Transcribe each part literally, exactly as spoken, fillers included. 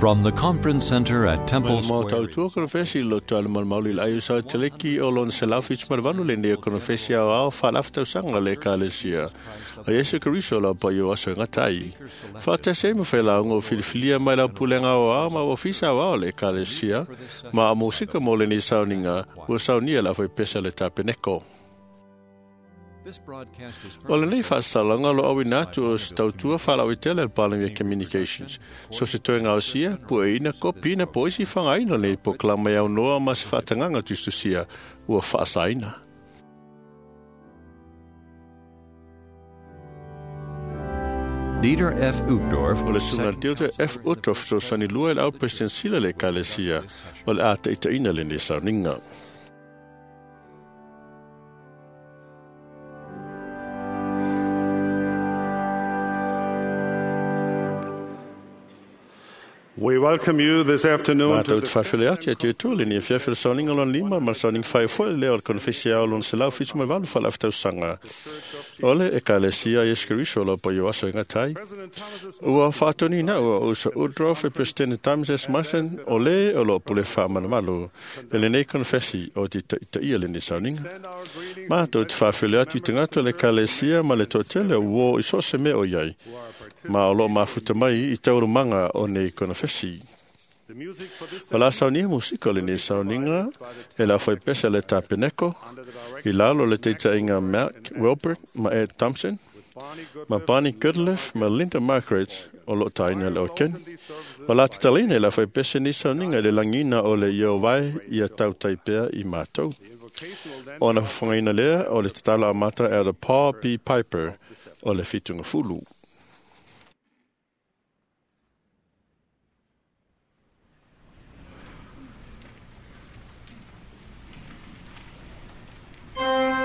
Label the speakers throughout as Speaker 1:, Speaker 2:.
Speaker 1: From the Conference Center at Temple
Speaker 2: Mo
Speaker 1: Square.
Speaker 2: tautua konofesi lo tuale malumalu i le ai o sa teleki o lona selau fitu ma le valu lenei o konofesi ao ao faalafatausanga le ekalesia. O Iesu Keriso lau paio aso e gatai. Faatasi ai ma failauga o filifilia mai lau pulega aoao ma ofisa aoao o le ekalesia ma a musika mo lenei sauniga ua saunia le aufaipese a le tapeneko.
Speaker 1: This broadcast is
Speaker 2: O lenei faasalaga lo auina atu o se tautua faalauaitele a le Palemia Communications. So se toega osia, pueina, kopina, po isi fagaina lenei polokalame e aunoa ma se faatagaga tusitusia ua faasaina.
Speaker 1: Dieter F. Uchtdorf,
Speaker 2: O le susuga
Speaker 1: second
Speaker 2: Dieter F. Uchtdorf fesoasoani lua i le au President le ekalesia o le a taitaina lenei sauniga.
Speaker 3: We welcome you this afternoon to
Speaker 2: Mātou
Speaker 3: the
Speaker 2: te whawhele atu e te utua le ni whiawhia le sauniga lona lima ma le sauniga whai foe lea o le konofesi ao lona selau fitu mai valu whaalafatausanga. O le ekalesia Iesu Keriso lau paio aso e ngatai.
Speaker 3: President Thomas S.
Speaker 2: Ua whaatonina ua usa Uchtdorf e President Thomas S. Monson o le o lo pule whaamanamalu. E lenei konofesi o te taitaia lenei sauniga.
Speaker 3: Send our greetings
Speaker 2: Mātou te whawhele atu i te ngata le ekalesia ma le toatele o uo i so se mea o iai.
Speaker 3: who are participating.
Speaker 2: Ma o lo mafuta mai i taurumaga o nei konofesi.
Speaker 3: The music for this
Speaker 2: O la saunia musika o lenei sauniga e la whaipesa le tapeneko
Speaker 3: under the
Speaker 2: i
Speaker 3: direction
Speaker 2: lalo le teitainga Mark Wilbert ma Ed Thompson
Speaker 3: Barney
Speaker 2: ma
Speaker 3: Goodliff
Speaker 2: Barney Goodliff ma Linda Margaret o lo taina le oken.
Speaker 3: these services
Speaker 2: O la tatalina e la whaipesa ni sauniga i le langina o le ia vai ia tautai pea i mātou.
Speaker 3: the invocation will then
Speaker 2: O na whangaina lea o le tatala amata e le Paul P. Piper o le whitunga fulu.
Speaker 4: I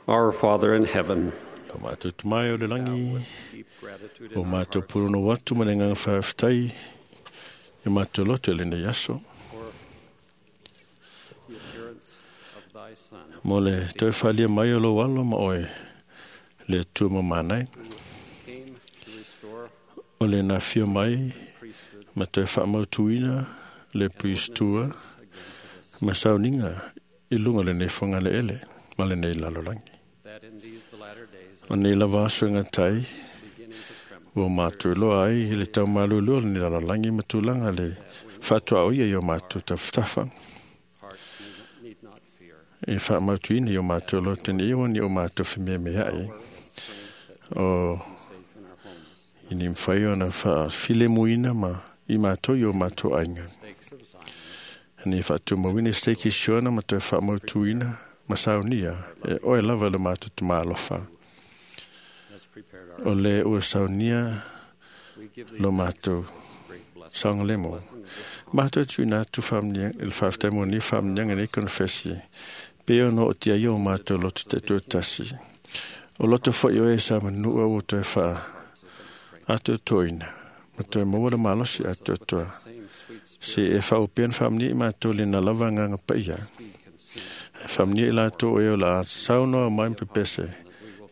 Speaker 4: Our Father in heaven,
Speaker 2: Lo mātou tumai o le langi,
Speaker 4: deep gratitude in
Speaker 2: o
Speaker 4: our
Speaker 2: mātou
Speaker 4: hearts
Speaker 2: purono watu ma le nganga whaaftai, i mātou loto e lenei aso.
Speaker 4: for the appearance of thy Son,
Speaker 2: Mo le toi whalia mai o lo alo ma oe le tua manai.
Speaker 4: who came to restore
Speaker 2: O le nā fia mai
Speaker 4: priesthood
Speaker 2: ma toi whaamautuina le priestua
Speaker 4: again to this,
Speaker 2: ma sauninga i lunga le nei whanga le ele ma le nei lalolangi.
Speaker 4: that in these the latter days,
Speaker 2: O nei lava aso e ngā tai,
Speaker 4: beginning to tremble,
Speaker 2: ua mātou loa ai i le tau malulu o le nei lalolangi ma tūlanga le whātua o ia i o mātou tawhatafa.
Speaker 4: hearts need, need not fear.
Speaker 2: E whaamautuina i o mātou loa tene iwa ni o mātou whimea mea ai.
Speaker 4: Power and strength that
Speaker 2: O
Speaker 4: be safe in our homes.
Speaker 2: i ni mwhai ona wha muina ma i mātou i o mātou ainga.
Speaker 4: Stakes of Zion,
Speaker 2: Ni whaatumawina steiki siona ma toe whaamautuina ma saunia e oe lava le mātou te mālofa.
Speaker 4: has prepared our
Speaker 2: O le ua saunia
Speaker 4: We give thee
Speaker 2: lo
Speaker 4: thanks
Speaker 2: mātou
Speaker 4: for this great blessing,
Speaker 2: saongalemo.
Speaker 4: blessing of this
Speaker 2: Mātou tuina atu whaamnia, il whaaftai mo ni whaamnianga ni konfesi. Pe ono o tia i o mātou loto te tūtasi. O loto fo i o e sa manua o toe wha
Speaker 4: hearts have been strengthened.
Speaker 2: atu toina. Ma toe maua le malosi atu toa.
Speaker 4: Same sweet spirit
Speaker 2: Se e whaopian whaamnia i mātou le na lava nganga paia.
Speaker 4: be consumed,
Speaker 2: Whaamnia i lātou e o la saunoa mai mpepese.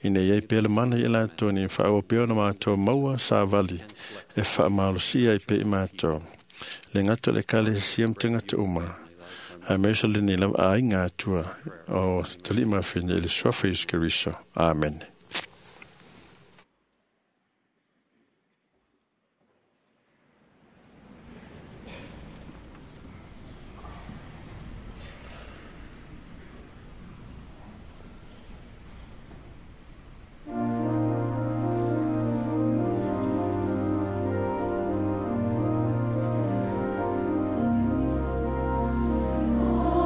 Speaker 2: Ina iai pele mana i lātou ni whaopia na mātou maua sa vali e whaamalosia i pe i mātou. Le ngato le kale siam te ngato uma. A meso le ni lava a inga atua o talima whina i le swafa Isu Keriso. Amen.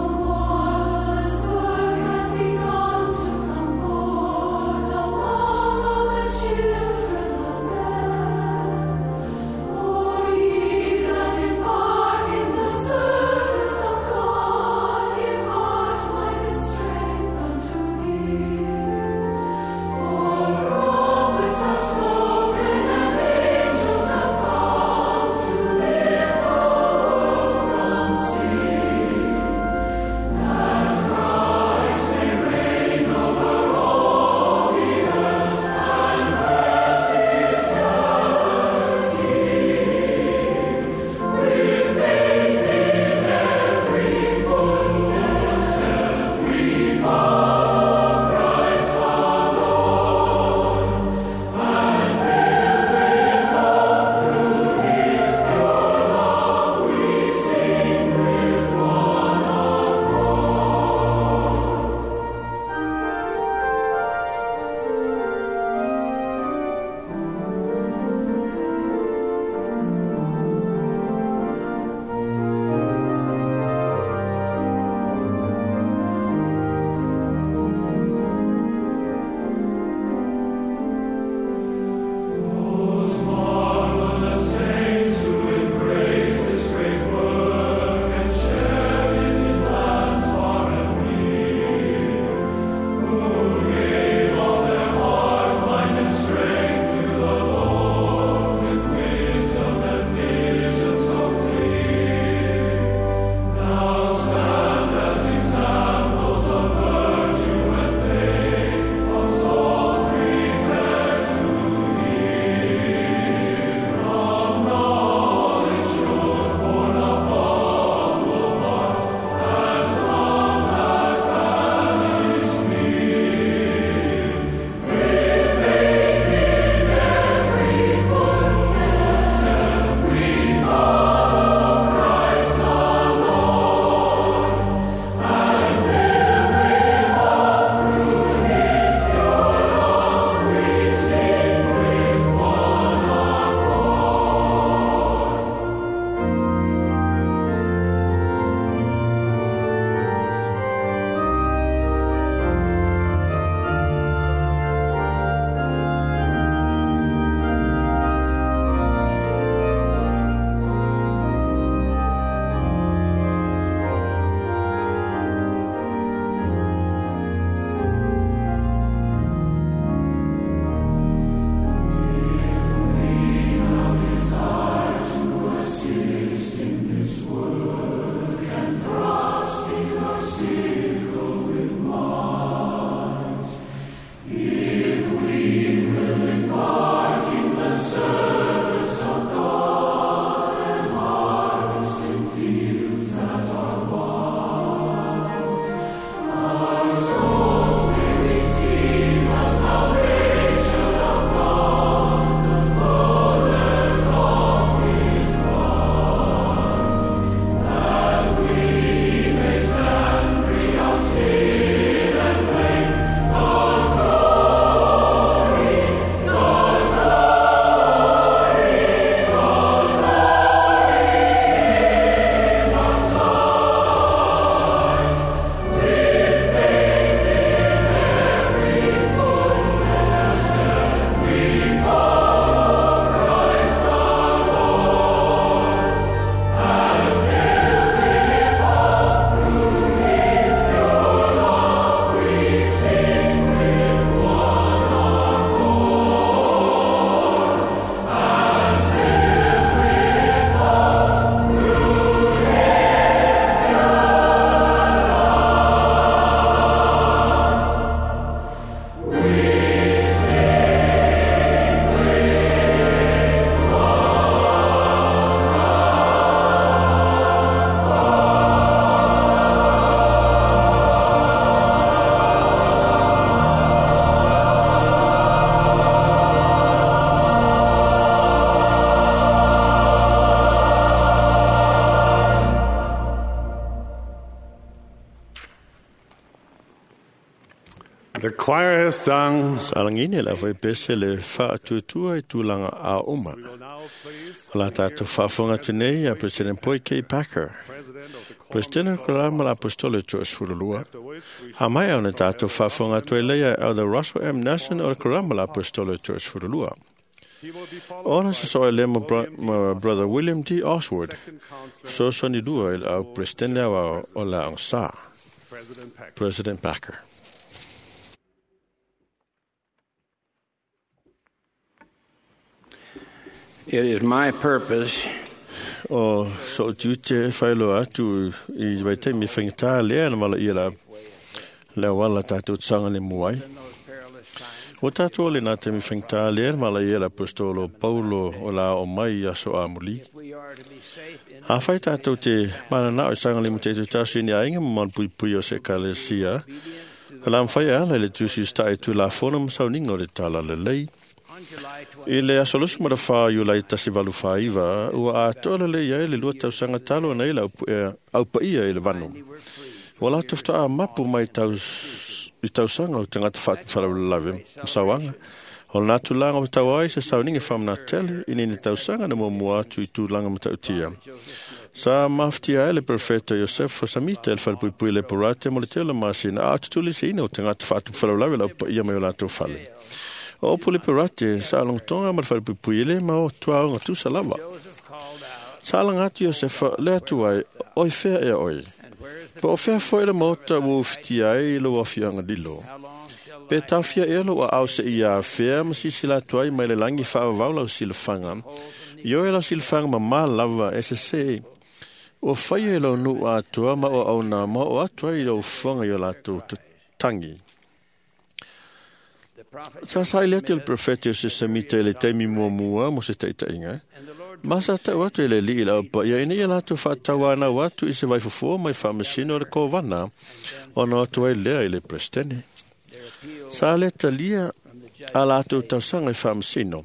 Speaker 5: Marvelous work has begun to come forth.
Speaker 3: The choir has sung.
Speaker 2: Sa lagina le aufaipese le faatuatua i tulaga aooma.
Speaker 3: We will now please
Speaker 2: O la tatou faafofoga atu nei ia President Boyd K. Packer,
Speaker 3: President of the Quorum
Speaker 2: President o Kalama la Apostolo Toasefululua.
Speaker 3: after which we
Speaker 2: A mai ona tatou faafofoga atu ai lea Elder Russell M. Nelson o le Kalama la Apostolo Toasefululua.
Speaker 3: he will be followed
Speaker 2: Ona
Speaker 3: by
Speaker 2: se soa le ma bro-
Speaker 3: William D.
Speaker 2: ma Brother William D. Oswald,
Speaker 3: Second Counselor
Speaker 2: fesoasoani lua i le au President au o la agasā,
Speaker 3: President Packer.
Speaker 2: President Packer.
Speaker 5: It is my purpose
Speaker 2: O so tiute whailo atu i vaitaimi whaingatā lea na wala ia la lea wala tātou tsanga le muai.
Speaker 5: in those perilous times
Speaker 2: O tātou le nā taimi whaingatā lea na wala ia la apostolo Paulo o la o mai i aso amuli.
Speaker 5: if we are to be safe in
Speaker 2: A whai tātou te mana o sanga le mute tausi ni ainga ma pui pui o se kalesia.
Speaker 5: obedience to
Speaker 2: O la mwhai ala le tusi stai tu la fono masauninga o le tala le lei.
Speaker 5: on July
Speaker 2: I le aso lusu ma whā i lai tasi valu whāiwa, ua atoa le ia i le lua tausanga talo na i la aupa ia i le vanu.
Speaker 5: twenty were free.
Speaker 2: Ua la tufta a mapu mai tau, i tausanga o tangata whaatawharawalave, masawanga. O nā tūlanga o tau ai se sauninga whamana tele, i nini tausanga na mua atu i tūlanga matautia. Sa maftia ai le profeta Iosefo Samita el whalepuipui le porate mo le tele masina, a tutuli se ina o tangata whaatawharawalave la upa ia mai o lātou whale. O opu le porate, sa alongotonga ma le whalepuipui ele ma o tuaonga tusa lava.
Speaker 5: Joseph called out,
Speaker 2: Sa alanga atu Iosefa le atu ai, oi fea ea oi.
Speaker 5: and where is the
Speaker 2: Po o fea foi le maota ua ufitia ai i lou afiaga lilo.
Speaker 5: how long shall
Speaker 2: Pe
Speaker 5: thy
Speaker 2: taofia ea lou aao seia afea ma sisila atu ai mai le lagi faavavau lau silafaga. I oe lau silafaga mamā lava e sesē. Ua faia e lau nuu atoa ma o auna ma o atu ai i lau ufoga i o latou tangi.
Speaker 5: the prophet
Speaker 2: Sa sa i le atu le profeta o se samita i le taimi muamua mo se taitaiga.
Speaker 5: and the Lord
Speaker 2: Ma sa tau atu e le lii lau pa ia ina ia latou faatauanau atu i se vaifofoa mai faamasino o le kovana ona atu ai lea i le presidente.
Speaker 5: their appeal
Speaker 2: Sa le talia
Speaker 5: from the judge
Speaker 2: a latou tausaga i faamasino.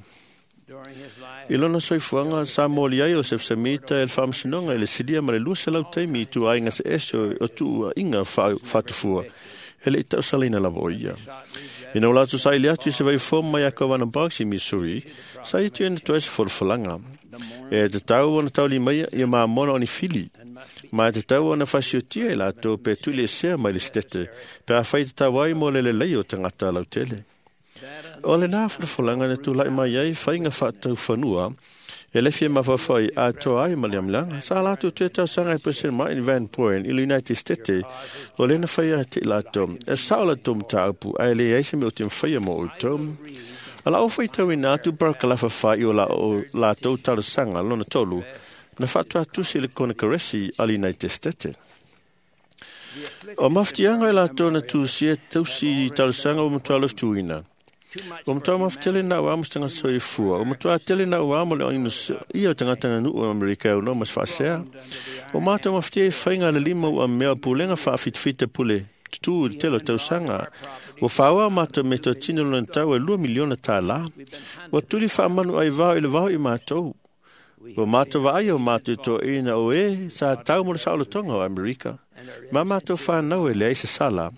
Speaker 5: during his life
Speaker 2: I lona soifuaga sa moli ai o Sefsamita e le faamasinoga i le silia ma le lua selau taimi i tuaiga se ese o o tuuaiga faa- faatufua e le i tausalaina lava o ia.
Speaker 5: sought redress
Speaker 2: Ina o latou saili atu i se vaifoa mai a Kovana Box i Missouri, sa i tu ena tuai se folafolaga. E te tau ona tauli mai ia mamona o ni fili.
Speaker 5: and must be
Speaker 2: Ma e te tau ona fasiotia i latou pe tuli e sea mai le stete, pe a whai te tau ai mo le lelei o tangata lautele.
Speaker 5: that
Speaker 2: O le nā whanafolanga na tūlai mai ai whainga whaatau whanua, e le fia mawhawhai a toa ai ma le amlanga, sa lātou te tausaga e President Martin Van Buren i le United States, o lena whaia te lātou, e sao la tō mtāupu, a e le ai se me o te mwhaia mō o tō. A la o whaitau ina atu barakalafa whai o la o lātou talasanga lona tolu, na whātua atusi le kona karesi a le United States. O mafutianga e lātou na tūsia tausi i talasanga o matua loftuina.
Speaker 5: too much
Speaker 2: O matua mafutele na ua amu tanga soifua. O matua tele na ua amu le oinu ia o tangata nganu o Amerika o no mas whaasea. O mātou mafutia e whainga le lima ua mea pulenga whaafitfita pule tutu i te tele o tausanga. Ua whaoa mātou me tō tino lona tau e lua miliona tā la. Ua tuli whaamanu ai vao i le vao i mātou. Ua mātou vaai o mātou tō ina o e sa tau mo le saolotonga o Amerika. Ma mātou whānau e le ai se sala.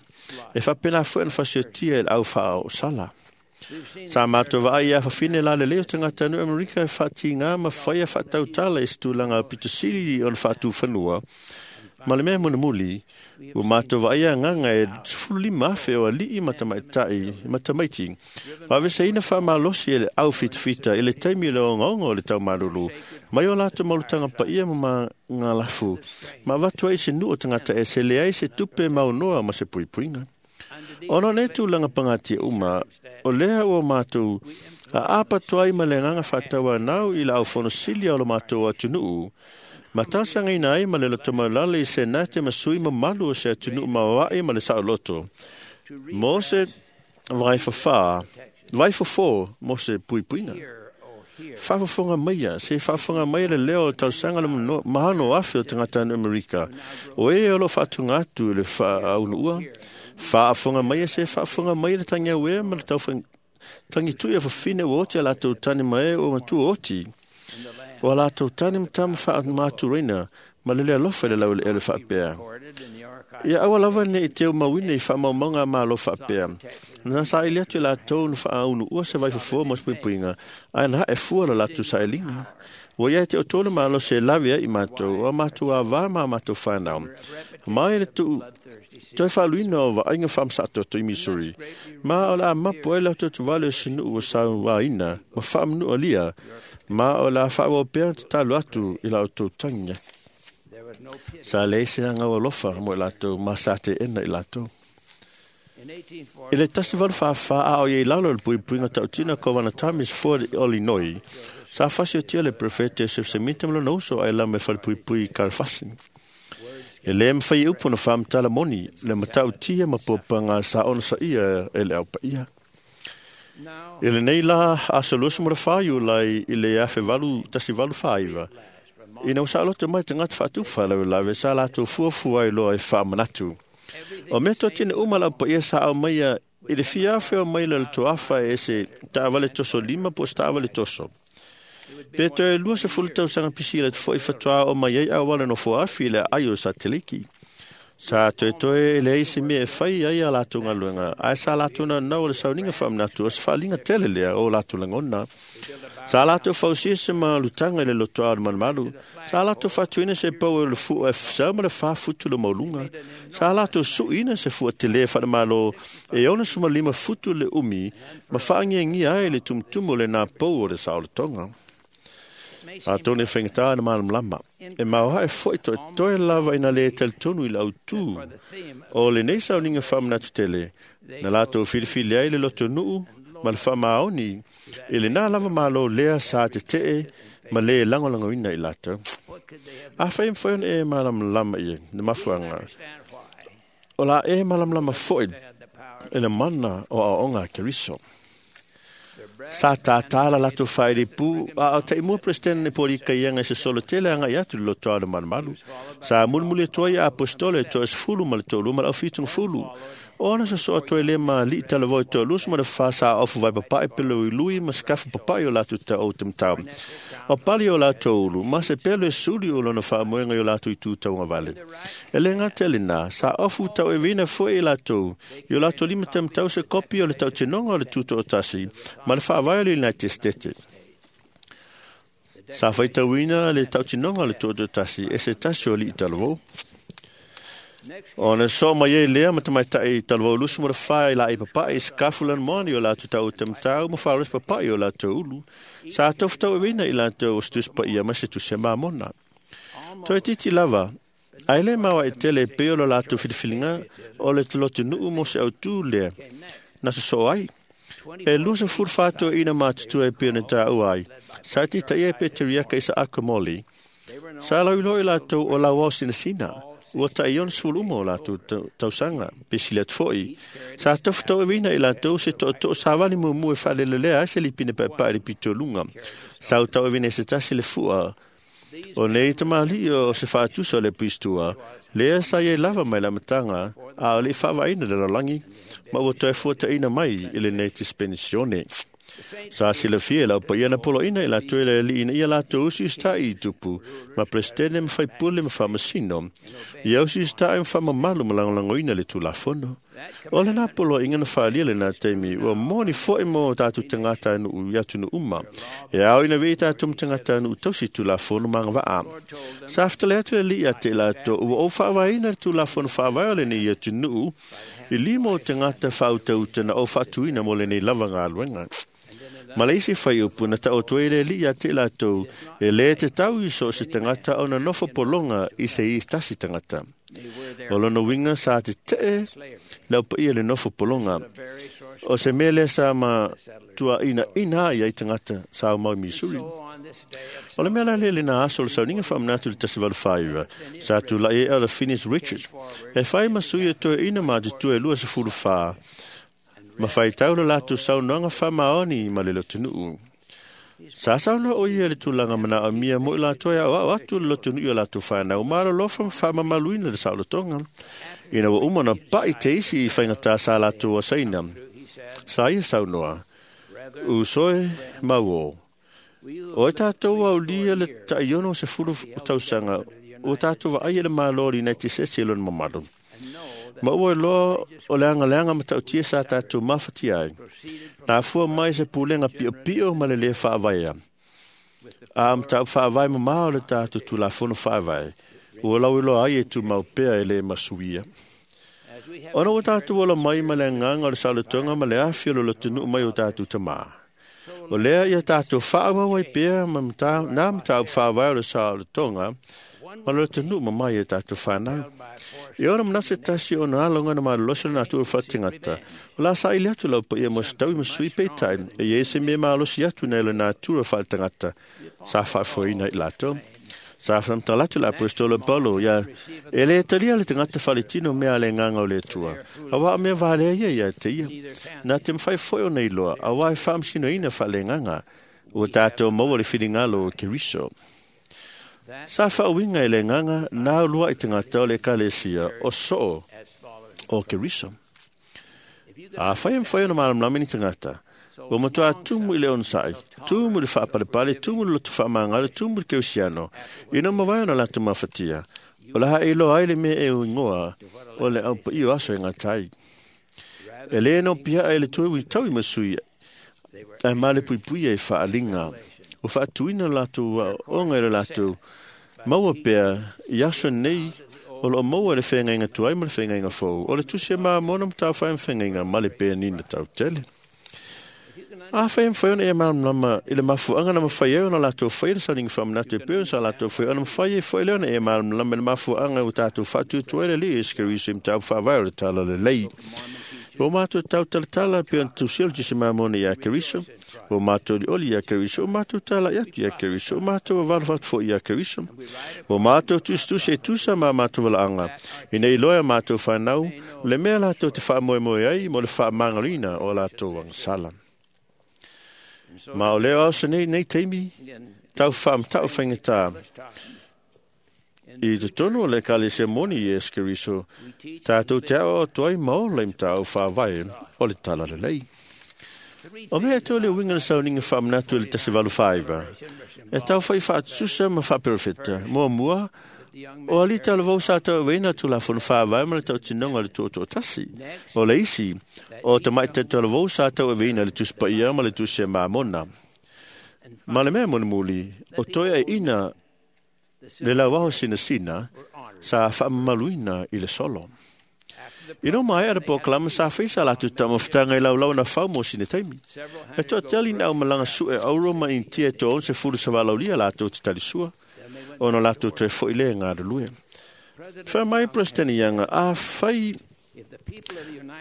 Speaker 2: E whapena fue na whasiotia e le au whaa o sala.
Speaker 5: we've seen
Speaker 2: Sa mātou vaai a whawhine la le leo tangata nu Amerika e whati ngā ma whaia whatautala e situlanga pito siri o na whatu whanua. Ma le mea muna muli, ua mātou vaai a nganga e sefulu lima afe o alii matamaitai, matamaiti. Wawese ina whamalosi e le au fitafita i le taimi o le ongaonga o le taumalulu. Mai o lātou maulutanga paia ma ma ngā lafu. Ma watu ai se nu o tangata e se le ai se tupe maunoa ma se puipuinga.
Speaker 5: under these
Speaker 2: Ona nei tūlanga pangatia uma, o lea ua mātou, a apatoa ai ma le nganga whataua nau i la au fono silia o lo mātou atunuu, ma tausangaina ai ma le loto maulale i se nate ma sui mamalu o se atunuu maoae ma le saoloto. Mo se vai whawhā, vai whawhō mo se puipuinga.
Speaker 5: here oh here
Speaker 2: Whaafafonga maia, se whaafafonga maia le leo o tausaga le mano- mahano afe o tangata no Amerika. O e o lo whaatunga atu i le whaaunua. Whaafonga maia se whaafonga maia le tangi au e ma le tauwhang tangi tui a whawhine o oti a lātou tane mai o matua oti.
Speaker 5: in the land
Speaker 2: O a lātou tane matamu whaamāturaina ma le lea lofa le lau le ele whaapea.
Speaker 5: recorded in the archives
Speaker 2: Ia aua lava ne i teu mauina i faamaumauga a Malo faapea. Na saili atu i latou na faaunuua se vaifofo mo se puipuiga, ae na hae fua lo latou sailiga. Ua ia te outou le malosi e lave ai i matou, o a matou avā ma a matou fanau. Ma e le tuu toe faaluina o vaaiga faamasaatoto i Missouri, ma o le a mapu ai le atoatovale o sinuu ua sauaina ma faamanualia, ma o le a faaauau pea ona tatalo atu i la outou tagiga.
Speaker 5: There was no pity.
Speaker 2: Sa leai se agau alofa mo i latou ma sa teena i latou.
Speaker 5: In eighteen
Speaker 2: I le tasi valu whawha a o iei lalo le puipuiga tautina Kovana Thomas Ford Illinois, sa fasiotia le prefete Joseph Smith ma lona uso ai lama e falepuipui Kalfasi. E le mawhai e upu na whamtala moni, le matautia ma popanga sa ona sa ia e le aupaia.
Speaker 5: now
Speaker 2: I lenei la aso luasu ma le whāiu lai i le afe valu, tasi valu whāiwa. Ina ua saoloto mai tagata faatufa lavelave sa latou fuafua ai loa e faamanatu. O mea totini uma lau paia sa au maia i le fia afe o mai le toafa e se taavale toso lima po o se taavale toso. Pe toe lua se fulu tausaga pisi le foi fatoa o mai ai auala nofo afi le ai o sateliki. Sa toe toe e leai se mea e fai ai a latou galuega, ae sa latou naunau o le sauniga faamanatu o se faaaliga tele lea o latou lagona. Sa latou fausia se malutaga i le lotoa o le malumalu. Sa latou faatuina se pau o le fua e sau ma le fa futu le mauluga. Sa latou suiina se fua tele faalemalo e ono sumalima futu le umi ma faagiagia ai le tumutumu o le napou o le saolotoga.
Speaker 5: may seem
Speaker 2: Atonu e faigata na malamalama. E maoae foi toe toe lava ina le talitonu i le autū
Speaker 5: for the theme
Speaker 2: o lenei sauniga faamanatu tele, na latou filifili ai le lotonuu ma le faamaoni i lenā lava malo lea sa tetee ma lē lagolagoina i latou.
Speaker 5: what could they have
Speaker 2: Afai e mafai ona e malamalama i le mafuaaga,
Speaker 5: understand why
Speaker 2: o la e malamalama foi
Speaker 5: they had the power
Speaker 2: i le mana o aoaoga a Keriso.
Speaker 5: their bread
Speaker 2: Sa tātā la latou failipu, a o taimua presidente Polika ianga se solo tele anga i atu le lotoa o le malumalu. Sa mulimuli atu ai a apostolo e toasefulu ma le toalua ma le aufituga-fulu. Ona sosoa toe le ma li'i talavou e toalusu ma le fa sa ofu vai papa'i pele lui ma sekafu papa'i o latou ta'ou tamatau. O pali o latou ulu, ma se pelu e suli o lona faamoega i o latou itu taugavale. E le gata i lenā, sa ofu taueveina foi e latou, i o latou lima tamatau se kopi o le tautinoga o le tuto'atasi ma le faavae o le United States. Sa faitauina le tautinoga o le tuto'atasi e se tasi o ali'i talavou.
Speaker 5: next
Speaker 2: Ona so mai ai lea ma tamaitai talavou lusu ma le fa i la i papa'i se kafu lana moani o latou ta'u tamatau ma faalosi papa'i o latou ulu. Sa tofutaueveina i latou o se tusi paia ma se tusi a mamona. Toe titi lava, ae le maoae tele e pei o lo latou filifiliga o le lotonuu mo se autū lea na sosoo ai. E lua sefulu fa toeaina matutua e pei ona taua ai. Sa titaia e Peteriaka Isaako Moli. Sa lauiloa i latou o lauao sinasina. Ua tai ono sefulu uma o latou tau- tausaga, pe sili atu foi. Sa tofutaueveina i latou se tootoo savali muamua e faalelelea ai se lipine paepae i le pitoluga. Sa utaueveina e se tasi le fua O nei tamalii o se faatusa o le pistua, lea sa iai lava mai le amataga, a o le i faavaina le lalolagi, ma ua toe fuataina mai i lenei dispensione. Sa silafia e lau paia na poloina i latou e le alii ina ia latou usiusita'i i tupu, ma peresetene ma faipule ma faamasino, ia usiusita'i ma faamamalu ma lagolagoina le Tulafono. O lenā poloaiga na faalia lenā taimi, ua moni fo'i mo tatou tagatanuu i atunuu uma, e ao ina vei tatou ma tagatanuu tausi i Tulafono ma agavaa. Sa fetale atu le alii ia te i latou, ua ou faavaeina le Tulafono faavae o lenei atunuu, i lima o tagata faautauta na ou faatuina mo lenei lava galuega. Ma le isi faiupu na taoto ai le alii ia te i latou, e lē tatau i so o se tagata ona nofo pologa i se i tasi tagata.
Speaker 5: they were their
Speaker 2: O lona uiga sa tetee
Speaker 5: slavery
Speaker 2: le aupaia le nofo pologa.
Speaker 5: the very source
Speaker 2: O se mea lea sa ma tuainaina ai ai tagata sa aumau i Missouri.
Speaker 5: so on this day of
Speaker 2: O le mea la lea lena aso o le sauniga faamanatu i le tasi valu fāiva, sa tula'i ai Elder Phineas Richards, e fai ma sui e toeaina matutua e lua sefulu fa, ma faitau le latou saunoaga faamaoni ma le lotonuu. Sa saunoa o ia i le tulaga manaomia mo i latou e aoao atu le lotonuu i o latou fanau ma alolofa ma faamamaluina le saolotoga. Ina ua uma na pa'i te isi i faigata sa latou asaina.
Speaker 5: he said
Speaker 2: Sa ia saunoa,
Speaker 5: brethren
Speaker 2: usoe mau
Speaker 5: we who
Speaker 2: O e tātou aulia le taiono o se fulu tausaga, o tātou vaai e le malo o le United States e lona mamalu.
Speaker 5: and
Speaker 2: Ma ua iloa o le agaleaga matautia sa tatou mafatia ai. Na afua mai se pulega piopio ma le lē faavaea. A mataupu faavae mamao le tatou Tulafono Faavae, ua lauiloa ai e tumau pea e lē masuia. Ona ua tatou ola mai ma le agaga o le saolotoga ma le afi o le lotonuu mai o tatou tamā. O lea ia tatou faaauau ai pea ma nā mataupu faavae o le saolotoga ma le lotonuu mamai e tatou fanau. E ona manatu se tasi ona aloga na malolosi o le natura faaletagata, o la saili atu lau paia mo se taui ma sui peitai, e i ai se mea malosi atu nai le natura faaletagata sa faafoeina i latou. Sa faamatala atu le aposetolo Paulo ia e lē talia le tagata faletino mea a le agaga o le Atua, auā o mea valea ia ia te ia. Na te mafai foi ona iloa, auā e faamasinoina faaleagaga, ua tatou maua le finagalo o Keriso. Sa faauiga e le agaga na uluai tagata o le ekalesia o soo o Keriso. Afai e mafai ona malamalama ni tagata, ua matuā tumu i le onosai, tumu i le faapalepale, tumu i le loto faamagalo, tumu i le kerisiano, ina mavae ona latou mafatia, o le a iloa ai le mea e uigoa o le aupaia o aso e gata ai. E lē nopiaʻa i le toe taui ma sui ae malepuipuia i faaliga ua faatuina latou aoaoga i le latou maua pea i aso nei o loo maua le feagaiga tuai ma le feagaiga fou o le tusi e mamona ma taufai ma feagaiga ma le penina tautele. Afai e mafai ona e malamalama i le mafuaaga na mafai ai ona latou faia le sauniga faamanatu e pei ona sa latou faia ona mafai ai foi lea ona e malamalama i le mafuaaga ua tatou faatuatua ai le Alii Iesu Keriso i mataupu faavae o le Talalelei. Ua matou tautalatala pei ona tusia le Tusi Mamona iā Keriso, ua matou olioli iā Keriso, ua matou talai atu iā Keriso, ua matou vavalo atu foi iā Keriso. Ua matou tusitusi e tusa ma matou valaaga, ina iloa e matou fanau le mea latou te faamoemoe ai mo le faamagaloina o latou agasala. Ma o lea o aso nei nei taimi, tau faamatau faigata i totonu o le ekalesia moni Iesu Keriso, tatou te aoao atu ai ma ola i mataupu faavae o le Talalelei. O mea e toe le uiga le sauniga faamanatu i le tasi valu faaiva, e tau fai faatusa ma faaperofeta. Muamua, o alii talavou sa tauaveina le Tulafono Faavae ma le tautinoga o le Tuutoatasi. O le isi, o tamaitai talavou sa tauaveina le Tusi Paia ma le Tusi a Mamona. Ma le mea mulimuli, o toe aiina le lauaho sinasina sa faamamaluina i le solo. Ina maea le polokalame sa fai sa latou taumafataga i laulau na fau mo sina taimi. E toatele ina aumalaga sue auro ma Initia e toaono sefulu sa valaaulia latou te talisua, ona latou toe fo'i lea e galulue. Fai mai President Young, afai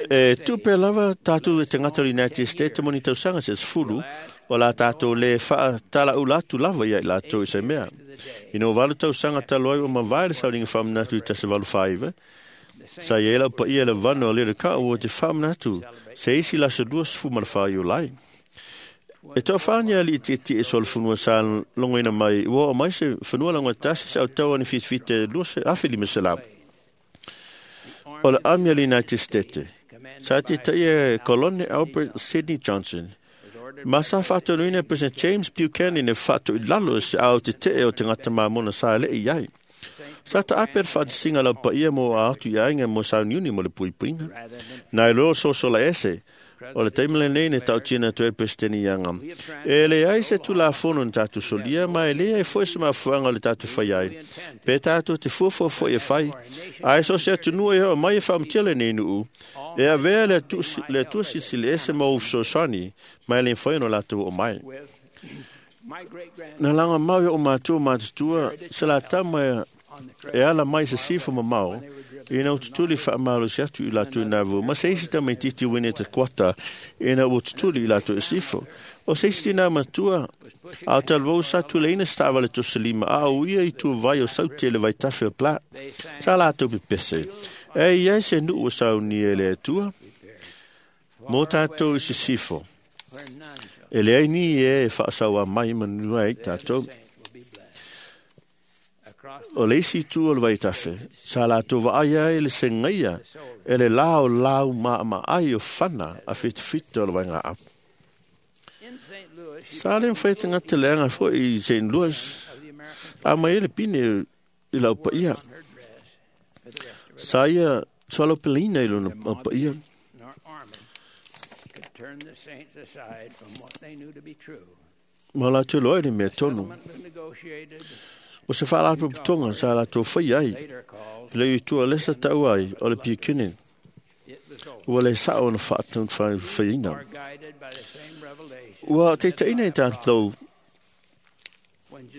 Speaker 2: e tupe lava tatou e tagata o le United States mo ni tausaga se sefulu, o la tatou lē faatalaula atu lava ia i latou i se mea. Ina ua valu tausaga talu ai ua mavae le sauniga faamanatu i tasi valu faaiva, sa i ai lau paia le vano o le le ua te faamanatu se isi laso luasefu ma le fā Iulai. E toafaani alii tietie e solofanua sa logoina mai ua oo mai se fanua laugatasi se autau ani fitafita afe lima selau. O le ami a le United States, sa tetaia e Kolone Albert Sidney Johnson, ma sa faatonuina e President James Buchanan e faatoilalo se ao tetee o tagata mamona sa lei i ai. Sa taape le faatasiga lau paia mo a atu i aiga mo sauniuni mo le puipuiga. Na iloa sosola ese, o le taimi lenei na tautino atu ai le Peresetene Young. E leai se Tulafono na tatou solia, ma e leai foi se mafuaaga o le tatou fai ai. Pe tatou te fuafua foi e fai, ae so o se atunuu e oo mai e faamatia lenei nuu, e avea le Atua Silisili Ese ma ou fesoasoani, ma e le mafai ona latou oo mai. Na lagomau i o'u matua matutua se latama e ala mai se sifo mamao, ina ua tutuli faamalosi atu i latou i nā ma se isi tamaitiiti uini e te kuata ina ua tutuli i latou i sifo. O se isi tinā matua, a o talavou sa tuleina se taavale tosolima a o ia i tua vai o saute le vaitafe o Pla, sa latou pepese. E i ai se nuu o saunia e le Atua, mo tatou i se sifo. E leai ni e e faasaua mai manua ai tatou. O le isi itu o le vaitafe, sa latou vaai ai le segaia e le la o lau maamaai o fana a fitafita o le vaigaau. Sa le mafai tagata leaga foi i Saint Louis, a mai ai le pine i lau paia. Sa ia Soalopeleina i lona paia. Ma latou loa i le mea tonu. O se faalapotopotoga sa latou faia ai le i tua lesa tau ai o le piakini. Ua le sao ona faafaiina. Ua taitaiina i tatou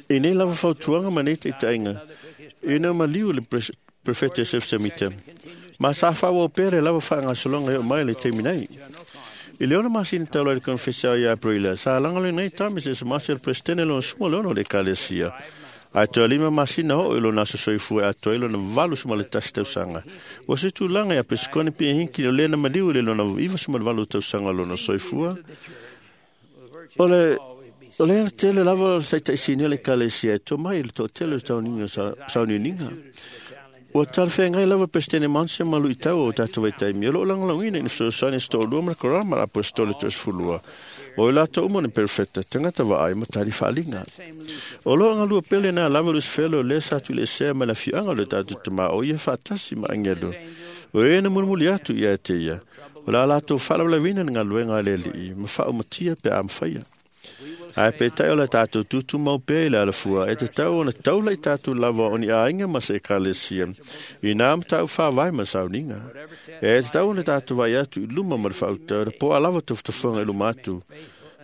Speaker 2: i nei lava fautuaga ma nei taitaiga ina maliu le Prefete Joseph Smith. Ma sa faaauau pea le lava faagasologa e oo mai le taimi nei. I le ono masina talu ai le konefesi ia Aperila, sa lagolagoina ai Thomas S. Monson le Peresetene lona suma le ono o le Ekalesia. Ae toe lima masina oo i lona aso soifua e atoa ai lona valu suma le tasi tausaga. Ua se tulaga ia Pesikone Pia Hinckley o lea na maliu i le lona iva suma le valu tausaga o lona soifua. O le O lea tele lava o le taitaisini o le Ekalesia e tomai i le toatele o sauniuniga. Ua talafeagai lava Peresetene Monson ma luitau o tatou vaitaimi. O loo lagolagoina ina fesoasoani se toalua ma le korama a Aposetole toasefulua. O i latou uma ni perofeta, tagata vaai ma tali faaliga. O loo galua pele na lava Lusifelo lea sa tuuleesea mai le afioaga o le tatou Tamā o ia faatasi ma agelu. O e na mulimuli atu ia te ia. O la latou faalavelavina le galuega a le Alii ma faaumatia pe a mafaia. Ae peitai o le tatou tutumau pea i le alafua e tatau ona taula i tatou lava o ni aiga ma se ekalesia i nā matau faavae ma sauniga. E tatau ona tatou vaai atu i luma ma le faautau po o a lava tafatafaga i luma atu.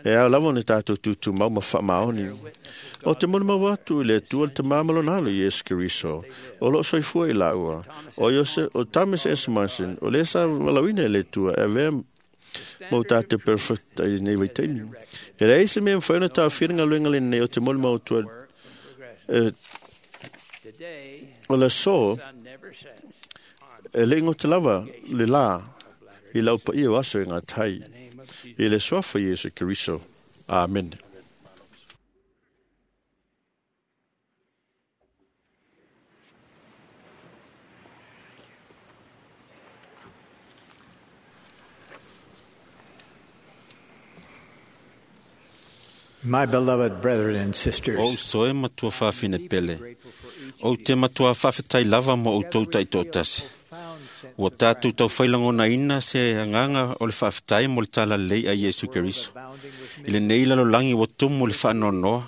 Speaker 2: E ao lava ona tatou tutumau ma faamaoni. O te molimau atu i le Atua le Tamā ma lona Alo Iesu Keriso, o loo soifua i laua. O Iose, o Thomas S. Monson, o lea sa valaauina e le Atua e avea mo tātou perfect i nei vaitaimi. E leai se mea mafai ona taofia le galuega lenei o te molimau atu e, o le aso e le igota lava le lā i lau paia o aso e ngā tai. I le suafa Iesu Keriso. Amen.
Speaker 6: My beloved brethren and sisters,
Speaker 7: O uso e matua faafine pele. O te matua faafetai lava mo outou taitoatasi. Ua tatou taufailagonaina se agaga o le faafetai mo le talalelei a Iesu Keriso. I lenei lalolagi ua tumu le faanoanoa.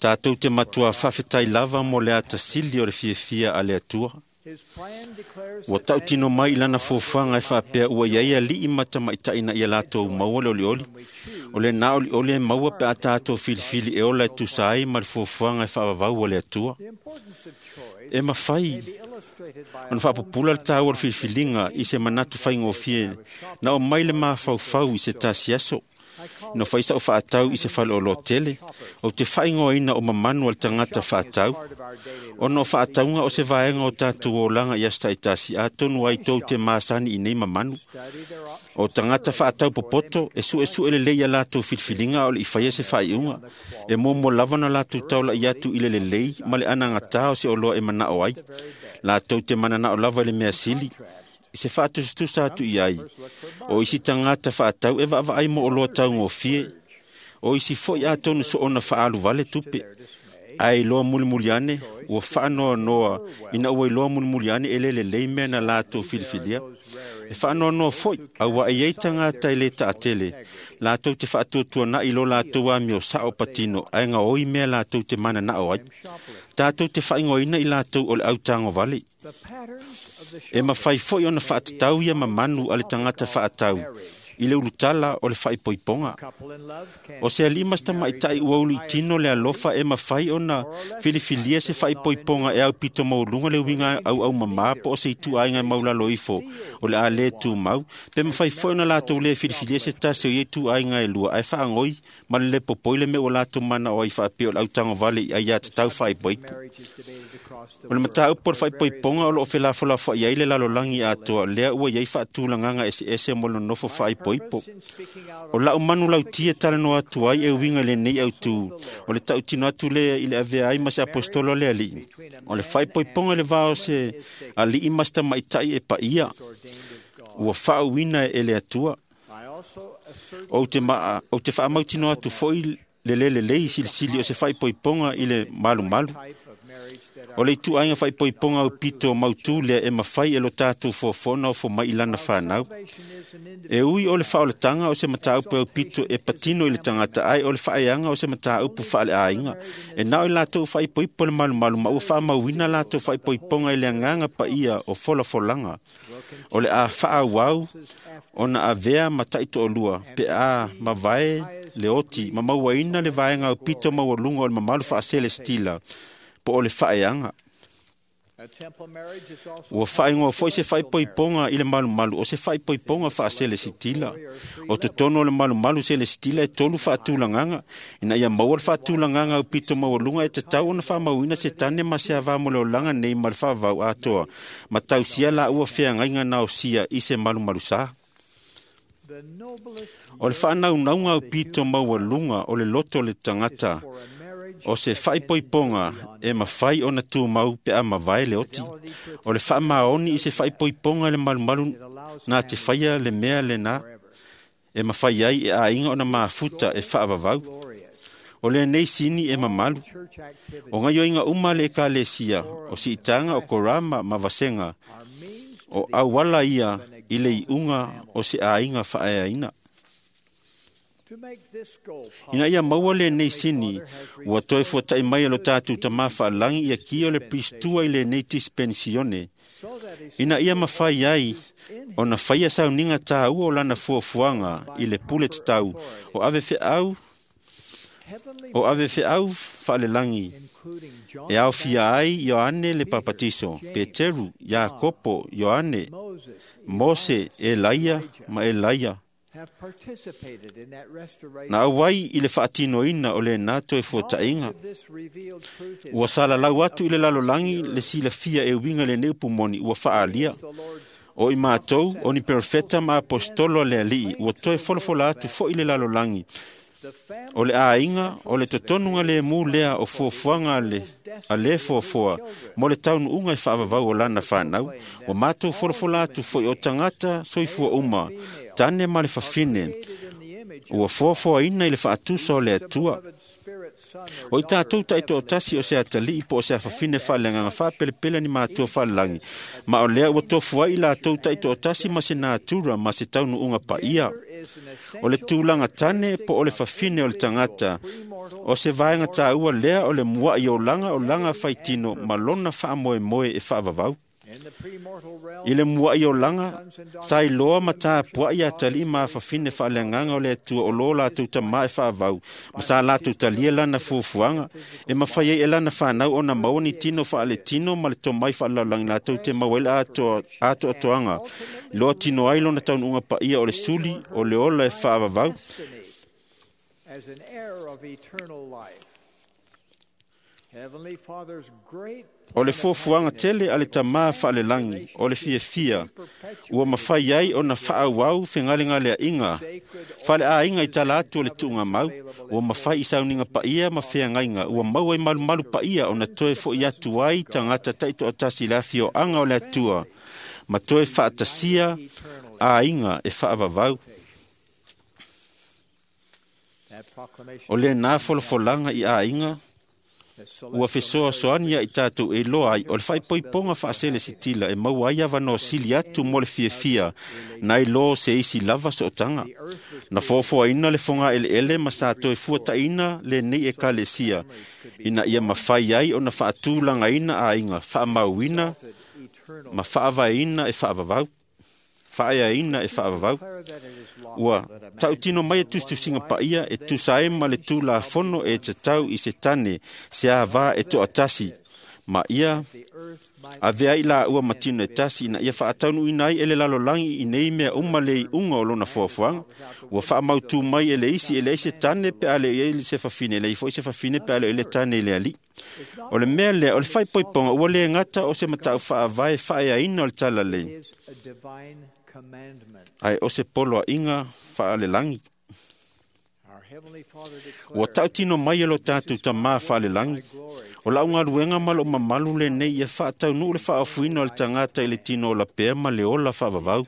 Speaker 7: Tatou te matua faafetai lava mo le atasili o le fiafia a le Atua. Ua tautino mai i lana fuafuaga e faapea ua iai alii ma tamaitai na ia latou maua le olioli. O lena olioli e maua pe a tatou filifili e ola e tusa ai ma le fuafuaga e faavavau a le Atua. E mafai ona faapupula le taua o le filifiliga i se manatu faigofie na o mai le mafaufau i se tasi aso. Na fai sa'u faatau i se faleoloa tele, ou te faaigoaina o mamanu a le tagata faatau. Ona o faatauga o se vaega o tatou olaga i aso taitasi, atonu ai tou te masani i nei mamanu. O tagata faatau popoto, e suesue lelei ia latou filifiliga a o le i faia se faaiuga. E muamua lava ona latou taula'i atu i le lelei ma le anagatā o se oloa e manao ai. Latou te mananao lava i le mea sili, i se faatusatusa atu i ai. O isi tagata faatau e vaavaai mo oloa taugofie. O isi foi atonu soona faaaluvale tupe. Ae iloa mulimuli ane, ua faanoanoa ina ua iloa mulimuli ane e le lelei mea na latou filifilia. E faanoanoa foi, auā e iai tagata e lē taatele, latou te faatuatuana'i lo latou amio sao patino ae gaoi mea latou te mananao ai. Tatou te faaigoaina i latou o le autagovale. E mafai foi ona faatatau ia mamanu a le tagata faatau i le ulutala o le faaipoipoga. O se alii ma se tamaitai ua uluitino le alofa e mafai ona filifilia se faaipoipoga e aupito maualuga le uiga auaumamā po o se ituaiga e maulalo ifo o le a lē tumau, pe mafai foi ona latou lē filifilia se tasi o ia ituaiga e lua ae faagoi ma le lē popoi le mea ua latou manao ai faapea o le autagovale i aiatatau faaipoipo. O le mataupu o le faaipoipoga o loo felafolafoai ai le lalolagi atoa lea ua iai faatulagaga eseese mo le nonofo faaipoipo. O lau manu lautia talanoa atu ai e uiga i lenei autū, o le tautino atu lea i le avea ai ma se apostolo a le Alii. O le faaipoipoga i le va o se alii ma se tamaitai e paia, ua faauuina e le Atua. Ou te, ma, ou te faamautinoa atu foi le lē lelei silisili o se faaipoipoga i le malumalu. O le ituaiga faaipoipoga aupito mautū lea e mafai e lo tatou fuafuaga ofo mai i lana fanau. E ui o le faaolataga o se mataupu aupito e patino i le tagata, ae o le faaeaga o se mataupu faaleaiga. E na o i latou faaipoipo le malumalu ma ua faamauina latou faaipoipoga i le agaga paia o folafolaga. O le a faaauau ona avea ma taitoalua pe a mavae le oti ma mauaina le vaega aupito maualuga o le mamalu faaselestila po o le faaeaga. Ua faaigoa foi se faaipoipoga i le malumalu o se faaipoipoga faaselesitila. O totonu o le malumalu selesitila e tolu faatulagaga. Ina ia maua le faatulagaga aupito maualuga e tatau ona faamauina se tane ma se avā mo le olaga nei ma le faavavau atoa, ma tausia laua feagaiga naosia i se malumalusā. O le faanaunauga aupito maualuga o le loto o le tagata o se faaipoipoga e mafai ona tumau pe a mavae le oti. O le faamaoni i se faaipoipoga i le malumalu na te faia le mea lena e mafai ai e aiga ona mafuta e faavavau. O lenei sini e mamalu. O gaioiga uma le ekalesia, o siitaga o korama ma vasega, o auala ia i le iuga o se aiga faaeaina. Ina ia maua lenei sini, ua toe fuata'i mai e lo tatou Tamā faalagi ia kia o le Pristua i lenei dispensione, ina ia mafai ai ona faia sauniga tāua o lana fuafuaga i le pule tatau o ave feau o ave feau faalelagi e aofia ai Ioane le Papatiso, Peteru, Iakopo, Ioane, Mose, Elaia ma Elaia. Na auai i le faatinoina o lena toe fuata'iga. Ua salalau atu i le lalolagi le silafia e uiga i lenei upu moni ua faaalia. O i matou, o ni perofeta ma apostolo a le Alii, ua toe folafola atu foi le lalolagi. O le aiga, o le totonuga lemu lea o fuafuaga a le, a le fuafua mo le taunuuga e faavavau o lana fanau. Ua matou folafola atu foi o tagata soifua uma, tane ma le fafine, ua fuafuaina i le faatusa o le Atua. O i tatou taitoatasi o se atalii po o se afafine faaleagaga faapelepele ni matua faalelagi, ma o lea ua tofu ai i latou taitoatasi ma se natura ma se taunuuga paia. O le tulaga tane po o le fafine o le tagata, o se vaega tāua lea o le mua'i olaga o laga faitino ma lona faamoemoe e faavavau. I le mua'i olaga, sa iloa ma tapua'i atalii ma afafine faaleagaga o le Atua o lo latou tamā e faavau, ma sa latou talia lana fuafuaga, e mafai ai e lana fanau ona maua ni tino faaletino ma le tomai faalelalolagi latou te maua ai le atoa, atoatoaga, loa tino ai lona taunuuga paia o le suli, o le ola e faavavau. O le fuafuaga tele a le Tamā faalelagi o le fiafia ua mafai ai ona faaauau fegalegalea'iga faaleaiga i tala atu o le tuugamau, ua mafai i sauniga paia ma feagaiga ua maua i malumalu paia ona toe fo'i atu ai tagata taitoatasi i le afioaga o le Atua ma toe faatasia aiga e faavavau. O lenā folafolaga i aiga ua fesoasoani ia i tatou e iloa ai o le faaipoipoga faaselesitila e maua ai avanoa sili atu mo le fiafia nai lo se isi lava sootaga. Na foafoaina le fogaeleele ma sa toe fuataʻina lenei ekalesia ina ia mafai ai ona faatulagaina aiga faamauina ma faavaeina e faavavau faaeaina e faavavau. Ua tautino mai e tusitusiga paia e tusa ai ma le tulafono e tatau i se tane se avā e toatasi ma ia avea ai laua ma tino e tasi ina ia faataunuuina ai e le lalolagi i nei mea uma le iuga o lona fuafuaga. Ua faamautū mai e le isi e leai se tane pe a le i ai se fafine, e leai foi se fafine pe a le i le tane i le alii. O le mea lea, o le faaipoipoga ua le gata o se matau faavae faaeaina o le talalelei, ae o se poloaiga faalelagi. Ua tautino mai e lo tatou Tamā faalelagi, o lau galuega ma lou mamalu lenei ia faataunuu le faaofuina o le tagata i le tino ola pea ma le ola faavavau.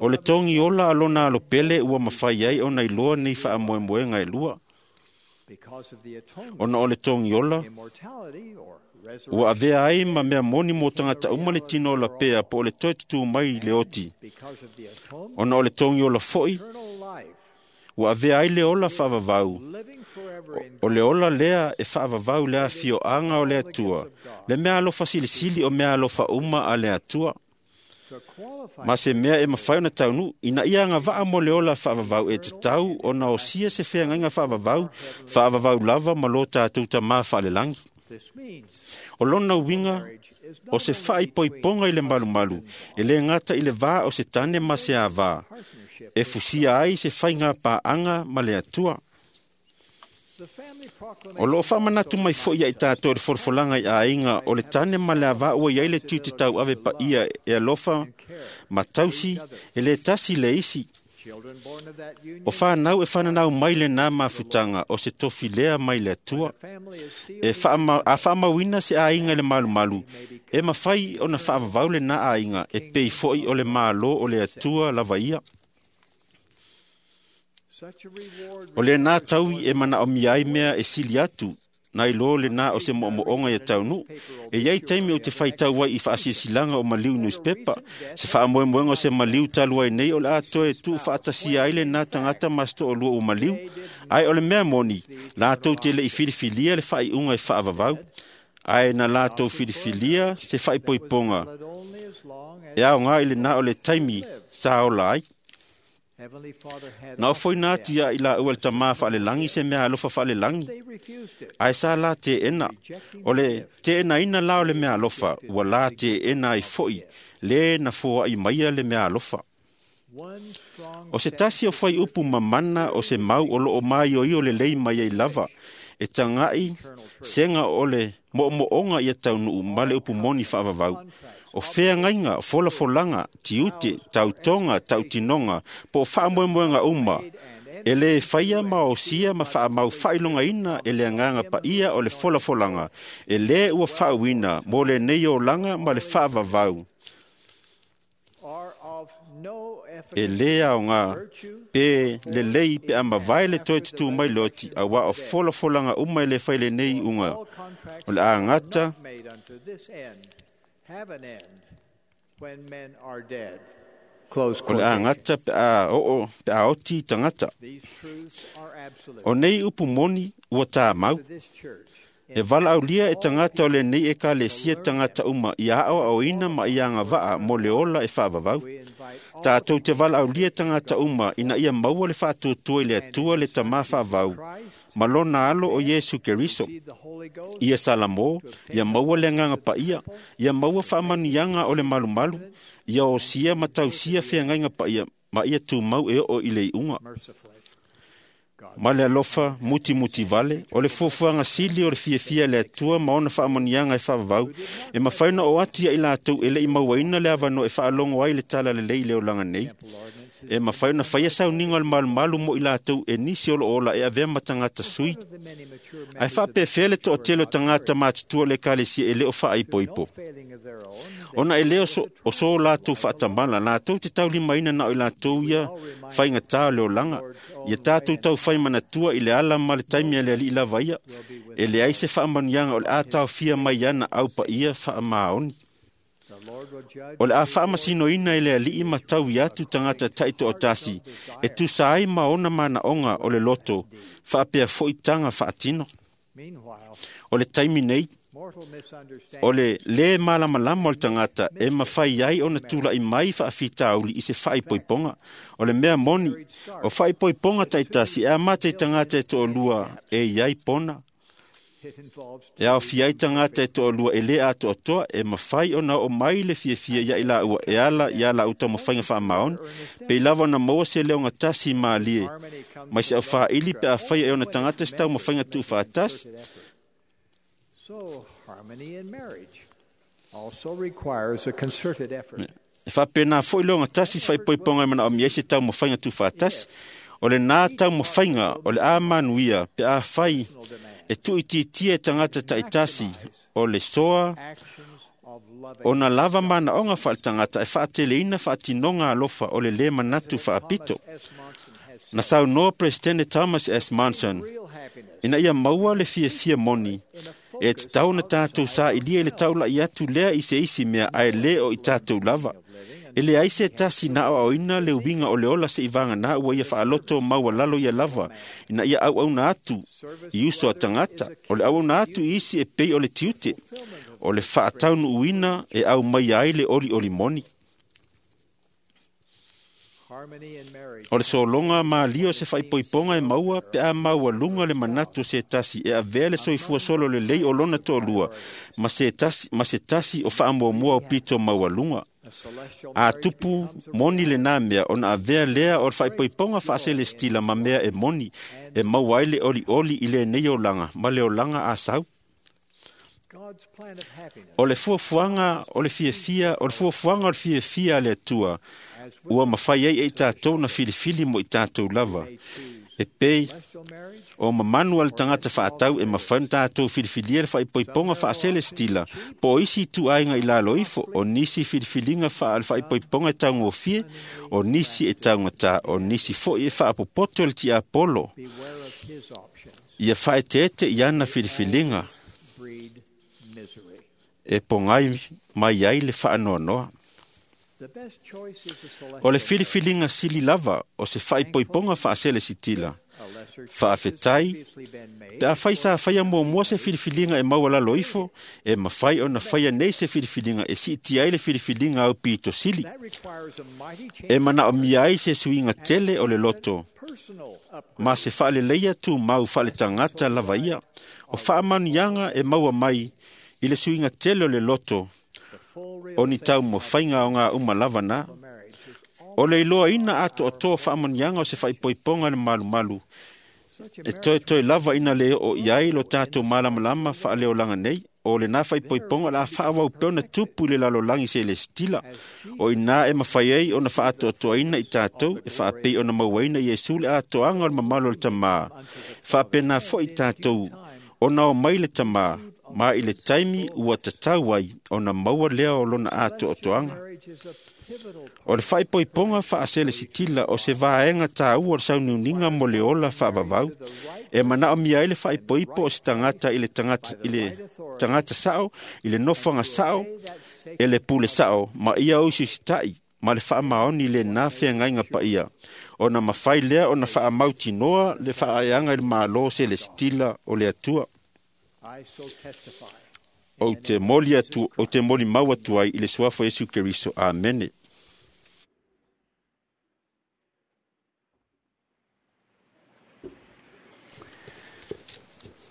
Speaker 7: O le togi ola a lona alo pele ua mafai ai ona iloa nei faamoemoega e lua. Ona o le togi ola, Ua avea ai ma mea moni mo tagata uma le tino ola pea po o le toe tutū mai le oti. Ona o le togi ola fo'i, ua avea ai le ola faavavau. O le ola lea e faavavau le afioaga o le Atua, le mea alofa silisili o mea alofa uma a le Atua. Ma se mea e mafai ona taunuu, ina ia agavaa mo le ola faavavau e tatau ona osia se feagaiga faavavau, faavavau lava ma lo tatou Tamā faalelagi. O lona uiga, o se faaipoipoga i le malumalu, e lē gata i le vā o se tane ma se avā, e fusia ai se faiga paaga ma le Atua. O loo faamanatu mai fo'i ia i tatou i le folafolaga i aiga o le tane ma le avā ua iai le tiute tauave paia e alofa ma tausi e lē tasi le isi. O fanau e fananau mai lenā mafutaga o se tofi lea mai le Atua. E faama, a faamauina se aiga i le malumalu, e mafai ona faavavau lenā aiga e pei fo'i o le Malo o le Atua lava ia. O lenā taui e manaomia ai mea e sili atu, nai lo lenā o se mo'omo'oga ia taunuu. E iai taimi ou te faitau ai i faasilasilaga o maliu newspaper, se faamoemoega o se maliu talu ai nei o le a toe tuufaatasia ai lenā tagata ma se to'alua ua maliu. Ae o le mea moni, latou te le'i filifilia le faaiuga e faavavau, ae na latou filifilia se faaipoipoga e aogā i lenā o le taimi sa ola ai. Na ofoina atu ia i laua le Tamā faalelagi se mea alofa faalelagi, ae sa la teena. O le teenaina la o le mea alofa, ua la teena ai fo'i lē na foa'i maia le mea alofa. O se tasi o fuaiupu mamana o se mau o loo maioio lelei mai ai lava, e taga'i sega o le mo'omo'oga ia taunuu ma le upu moni faavavau. O feagaiga, folafolaga, tiute, tautoga, tautinoga, po o faamoemoega uma, e lē faia ma osia ma faamau faailogaina e le agaga paia o le folafolaga, e lē ua faauina mo lenei olaga ma le faavavau. E lē aogā pe lelei pe a mavae le toe tutū mai le oti, auā o folafolaga uma e lē fai lenei iuga o le a gata o le a gata pe a oo pe a oti tagata. O nei upu moni ua tāmau. E valaaulia e tagata o lenei ekalesia tagata uma ia aoaoina ma ia agavaa mo le ola e faavavau. Tatou te valaaulia tagata uma ina ia maua le faatuatua i le Atua le Tamā faavau ma lona alo o Iesu Keriso. Ia Salamo, ia maua le agaga paia, ia maua faamanuiaga o le malumalu, ia osia ma tausia feagaiga paia ma ia tumau e oo i le iuga. Ma le alofa mutimuti vale, o le fuafuaga sili o le fiafia le Atua ma ona faamanuiaga e faavavau, e mafai ona oo atu ia i latou e le'i mauaina le avanoa e faalogo ai le tala lelei i le olaga nei. E mafai ona faia sauniga o le malumalu mo i latou e nisi o loo ola e avea ma tagata sui. Ae faapefea le toatele o tagata matutua o le ekalesia e lē o faaipoipo. Ona e lē o so latou faatamala, latou te taulimaina na o i latou ia faigatā o le olaga. Ia tatou taufai manatua i le ala ma le taimi a le Alii lava ia, e leai se faamanuiaga o le a taofia mai ana au paia faamaoni. O le a faamasinoina e le Alii ma taui atu tagata taitoatasi e tusa ai ma ona manaoga o le loto, faapea fo'i taga faatino. O le taimi nei, o le lē malamalama o le tagata e mafai ai ona tula'i mai faafitauli i se faaipoipoga. O le mea moni, o faaipoipoga taitasi e amata i tagata e to'alua e iai pona. E aofia ai tagata e to'alua e lē atoatoa e mafai ona oo mai le fiafia ia i laua e ala ia laua taumafaiga faamaoni, pei lava ona maua se leogatasi malie mai se aufāili pe afai e ona tagata se taumafaiga tuufaatasi. E faapena fo'i leogatasi se faaipoipoga e manaomia ai se taumafaiga tuufaatasi. O lenā taumafaiga o le a manuia pe afai e tuuitiitia e tagata taitasi o le soa ona lava manaoga faaletagata e faateleina faatinoga alofa o le lē manatu faapito. Na saunoa Peresetene Thomas S. Monson, ina ia maua le fiafia moni, E tatau ona tatou sailia i le taula'i atu lea i se isi mea ae lē o i tatou lava. E leai se tasi na aoaoina le uiga o le ola seʻivaganā ua ia faaloto maualalo ia lava, ina ia auauna atu i uso a tagata. O le auauna atu i isi e pei o le tiute, o le faataunuuina e aumaia ai le olioli moni. O le sologa malie o se faaipoipoga e maua pe a maualuga le manatu o se tasi e avea le soifua solo lelei o lona toalua ma se tasi, ma se tasi o faamuamua o pito maualuga. A tupu moni lenā mea, ona avea lea o le faaipoipoga faaselestila ma mea e moni, e maua ai le olioli i lenei olaga ma le olaga a sau. O le fuafuaga o le fiafia, o le fuafuaga o le fiafia a le Atua, ua mafai ai e i tatou na filifili mo i tatou lava. E pei o mamanu a le tagata faatau e mafai ona tatou filifilia le faaipoipoga faaselestila, po o isi ituaiga i lalo ifo, o nisi filifiliga faa le faaipoipoga e taugofie, o nisi e taugatā, o nisi foi e faapopoto e le tiapolo. Ia faaeteete i ana filifiliga e pogai mai ai le faanoanoa. O le filifiliga sili lava o se faaipoipoga faaselesitila. Faafetai, pe afai sa faia muamua se filifiliga e maualalo ifo, e mafai ona faia nei se filifiliga e siitia ai le filifiliga au pito sili. E manaomia ai se suiga tele o le loto, ma se faaleleia tumau faaletagata lava ia. O faamanuiaga e maua mai i le suiga tele o le loto, o ni taumafaiga o ngā uma lava na. O le iloaina atoatoa faamanuiaga o se faaipoipoga le malumalu, e toetoe lava ina le oo i ai lo tatou malamalama faaleolaga nei. O lenā faaipoipoga o le a faaauau pea ona tupu i le lalolagi selesitila. O i ina e mafai ai ona faatoatoaina i tatou, e faapei ona mauaina Iesu le atoaga o le mamalu o le Tamā. Faapena foi i tatou, ona o mai le Tamā, ma i le taimi ua tatau ai ona maua lea o lona atoatoaga. O le faaipoipoga faaselesitila o se vaega taua o le sauniuniga mo le ola faavavau, e manaomia ai le faaipoipo o se tagata i le tagata, i le tagata sao, i le nofoaga sao, e le pule sao, ma ia usiusita'i ma le faamaoni lenā feagaiga paia, ona mafai lea ona faamautinoa le faaeaga i le Malo selesitila o le Atua. Ou te moli atu, ou te moli mau atu ai i le suafa Iesu Keriso. Amene.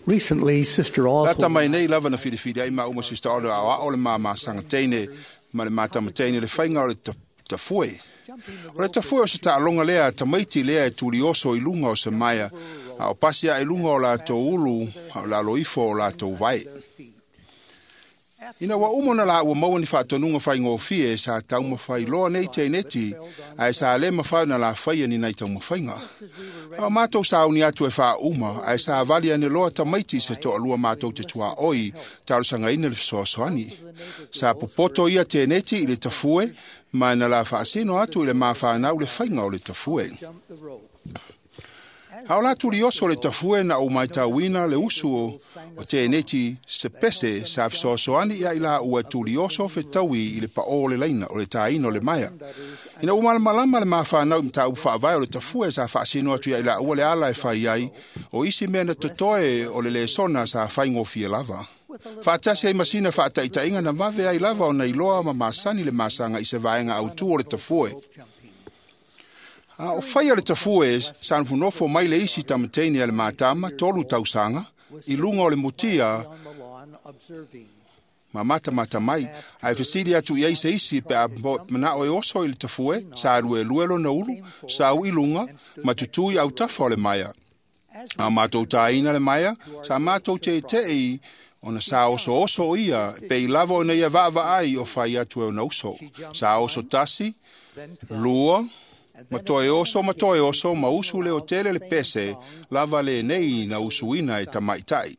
Speaker 6: Recently, Sister
Speaker 8: Lata
Speaker 6: Oswald
Speaker 8: mai nei lava na filifili ai ma uma Sister Oswald ao ao le mamasaga teine ma le matama teine le faiga o le ta- tafue. O le tafue o se taaloga lea tamaiti lea e tulioso i luga o se maea, a o pasi ae luga o latou ulu, a o lalo ifo o latou vae. Ina ua uma ona la ua maua ni faatonuga faigofie sa taumafai loa nei teineti, ae sa lē mafai ona lafaia ni nai taumafaiga. A o matou sauni atu e faauma, ae sa vali ane loa tamaiti se toalua matou te tuaoi talosagaina le fesoasoani. Sa popoto ia teneti i le tafue, ma na la faasino atu i le mafanau le faiga o le tafue. A o la tulioso le tafue na o maitauina le usu o, o teneti se pese sa fesoasoani ia i la ua tulioso fetaui i le paʻō o le laina o le tāina o le maea. Ina ua malamalama le mafanau i mataupu faavae o le tafue sa faasino atu ia i la ua le ala e fai ai, o isi mea na totoe o le lesona sa faigofie lava. Faatasi ai masina faataitaiga na vave ai lava ona iloa ma masani le masaga i se vaega autū o le tafue. A o faia le tafue sa nofonofo mai le isi tamateine a le matama tolu tausaga i luga o le mutia ma matamata mai, ae fesili atu i ai se isi pe a manao e oso i le tafue, sa luelue lona ulu, sa ui luga, ma tutū i autafa o le maea. A matou tāina le maea, sa matou teitei ona sa osooso ia, pe i lava ona ia vaavaai o fai atu e ona uso. Sa oso tasi, lua, ma toe oso ma toe oso ma usu le o tele le pese, lava le nei na usuina e tamaitai.